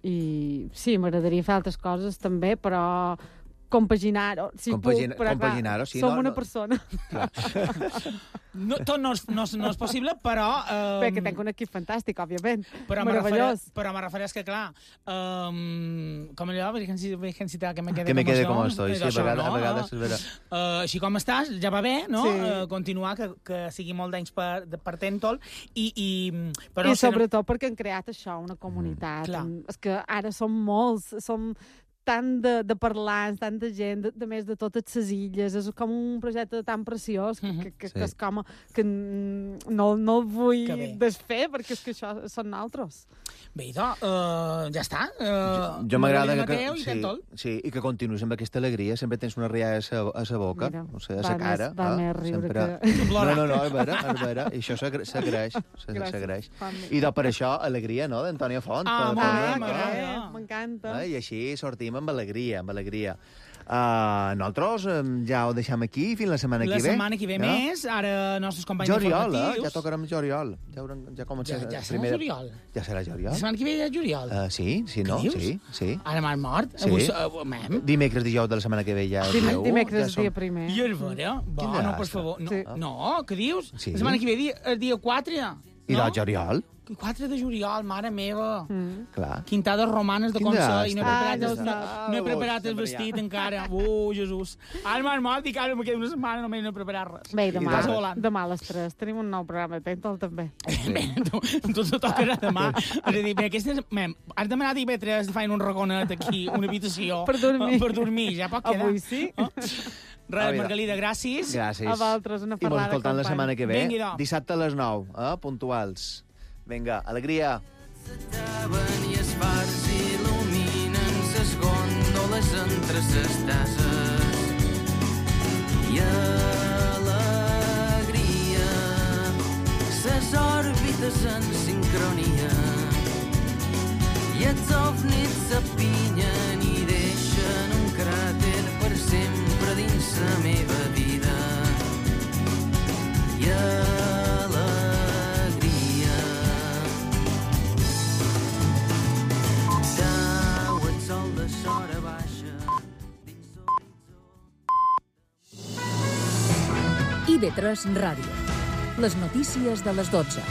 S6: I sí, m'agradaria fer altres coses també, però compaginar-ho, si
S4: Compagina-
S6: puc, però clar,
S4: compaginar-ho, sí,
S6: som
S4: no,
S6: una
S4: no.
S6: persona.
S5: No, tot no és, no, és, no és possible, però... Um,
S6: Bé, que tenc un equip fantàstic, òbviament.
S5: Però me
S6: Meravellós.
S5: refereix, però me refereix que, clar, um, com allò, virgencita, que me quede
S4: Que me quede
S5: com
S4: com
S5: estoy.
S4: estoy, sí, a
S5: Això,
S4: vegades,
S5: no?
S4: a vegades és vera.
S5: Uh, així com estàs, ja va bé, no?
S6: Sí.
S5: Uh, continuar, que, que sigui molt d'anys per, de- per Tentol, i, i, però
S6: I
S5: no sé,
S6: sobretot perquè han creat això, una comunitat.
S5: Clar.
S6: Mm, és que ara som molts, som tant de, de parlants, tant de gent, de, de més de totes les illes, és com un projecte tan preciós que,
S5: Mhm.
S6: que, que,
S4: Sí.
S6: que és com que mm, no, no el vull
S5: Que bé.
S6: desfer, perquè és que això són nosaltres.
S5: Bé, idò, uh, ja està. Uh,
S4: Jo m'agrada que,
S5: Mateu i
S4: sí,
S5: Tentol.
S4: sí, i que continuïs amb aquesta alegria. Sempre tens una rialla a sa, a sa boca,
S6: Mira,
S4: o sigui, a
S6: va
S4: sa cara.
S6: més- va
S4: eh?
S6: més riure
S4: Sempre...
S6: que-
S4: No, no, no, és vera, és vera. I això s'agra- s'agraeix, s-
S6: Gràcies.
S4: s'agraeix.
S6: Fa mi-
S4: I de, per això, alegria, no?, d'Antònia Font.
S5: Ah,
S4: per-
S5: molt
S4: per-
S5: bé,
S6: Ah,
S4: per-
S5: m'agrada.
S6: eh, m'encanta.
S4: Eh? I així sortim amb alegria, amb alegria. Uh, nosaltres um, ja ho deixem aquí fins la setmana
S5: La
S4: que ve.
S5: La setmana que ve
S4: no?
S5: més, ara nostres companys
S4: Joriol, eh?
S5: informatius...
S4: Ja tocarem Joriol. Ja, haurem, ja comença...
S5: Ja, ja serà
S4: primera...
S5: Joriol?
S4: Ja serà Joriol.
S5: La setmana que ve ja és Joriol?
S4: Uh, sí, sí, no?
S5: Què dius?
S4: Sí, sí.
S5: Ara m'han mort?
S4: Sí.
S5: Avui, uh, mem?
S4: Dimecres, dijous de la setmana que ve ja...
S6: Dim
S4: dia u,
S6: dimecres
S4: ja som...
S6: dia primer.
S5: I el vera?
S4: Quin
S5: Bueno,
S4: desastre.
S5: per favor. No,
S6: Sí.
S5: no, què dius?
S4: Sí.
S5: La setmana que ve dia, el dia quatre.
S4: I
S5: no?
S4: del Joriol?
S5: quatre de juliol, mare meva.
S6: Mm.
S4: Clar.
S5: Quintades romanes de
S4: Quin
S5: com ser, i no he
S4: desastre.
S5: preparat,
S6: Ah, no
S5: el, no,
S6: saps.
S5: no he preparat
S4: Ah,
S5: el
S4: sempre
S5: vestit
S4: hi ha.
S5: encara. Uh, Jesús. Ara m'han mort i ara me queda una setmana només no he preparat res.
S6: Bé,
S4: I
S6: demà,
S5: passa volant.
S6: demà a les tres tenim un nou programa, atenta'l també.
S5: Bé, tu, tu te tocarà demà. És a dir, bé, aquestes... Mem, has demanat I B tres de fer un raconet aquí, una habitació.
S6: Per dormir.
S5: Per dormir, ja pot quedar.
S6: Avui sí.
S5: Oh. Res,
S4: Ah, mira.
S5: Margalida, gràcies.
S4: Gràcies.
S6: A vosaltres, una
S4: I mos
S6: ferrada,
S4: escoltant la
S6: company.
S4: setmana que ve.
S5: Vingui, do.
S4: Dissabte a les nou, eh? Puntuals. Vinga, alegria.
S7: S'ataven i els fars il·luminen ses gòndoles entre ses tases. I alegria, ses òrbites en sincronia. I els ovnis s'apinyen i deixen un cràter per sempre dins la meva vida. I alegria, sau el sol de sora baixa dins
S3: I V tres Ràdio. Les notícies de les dotze.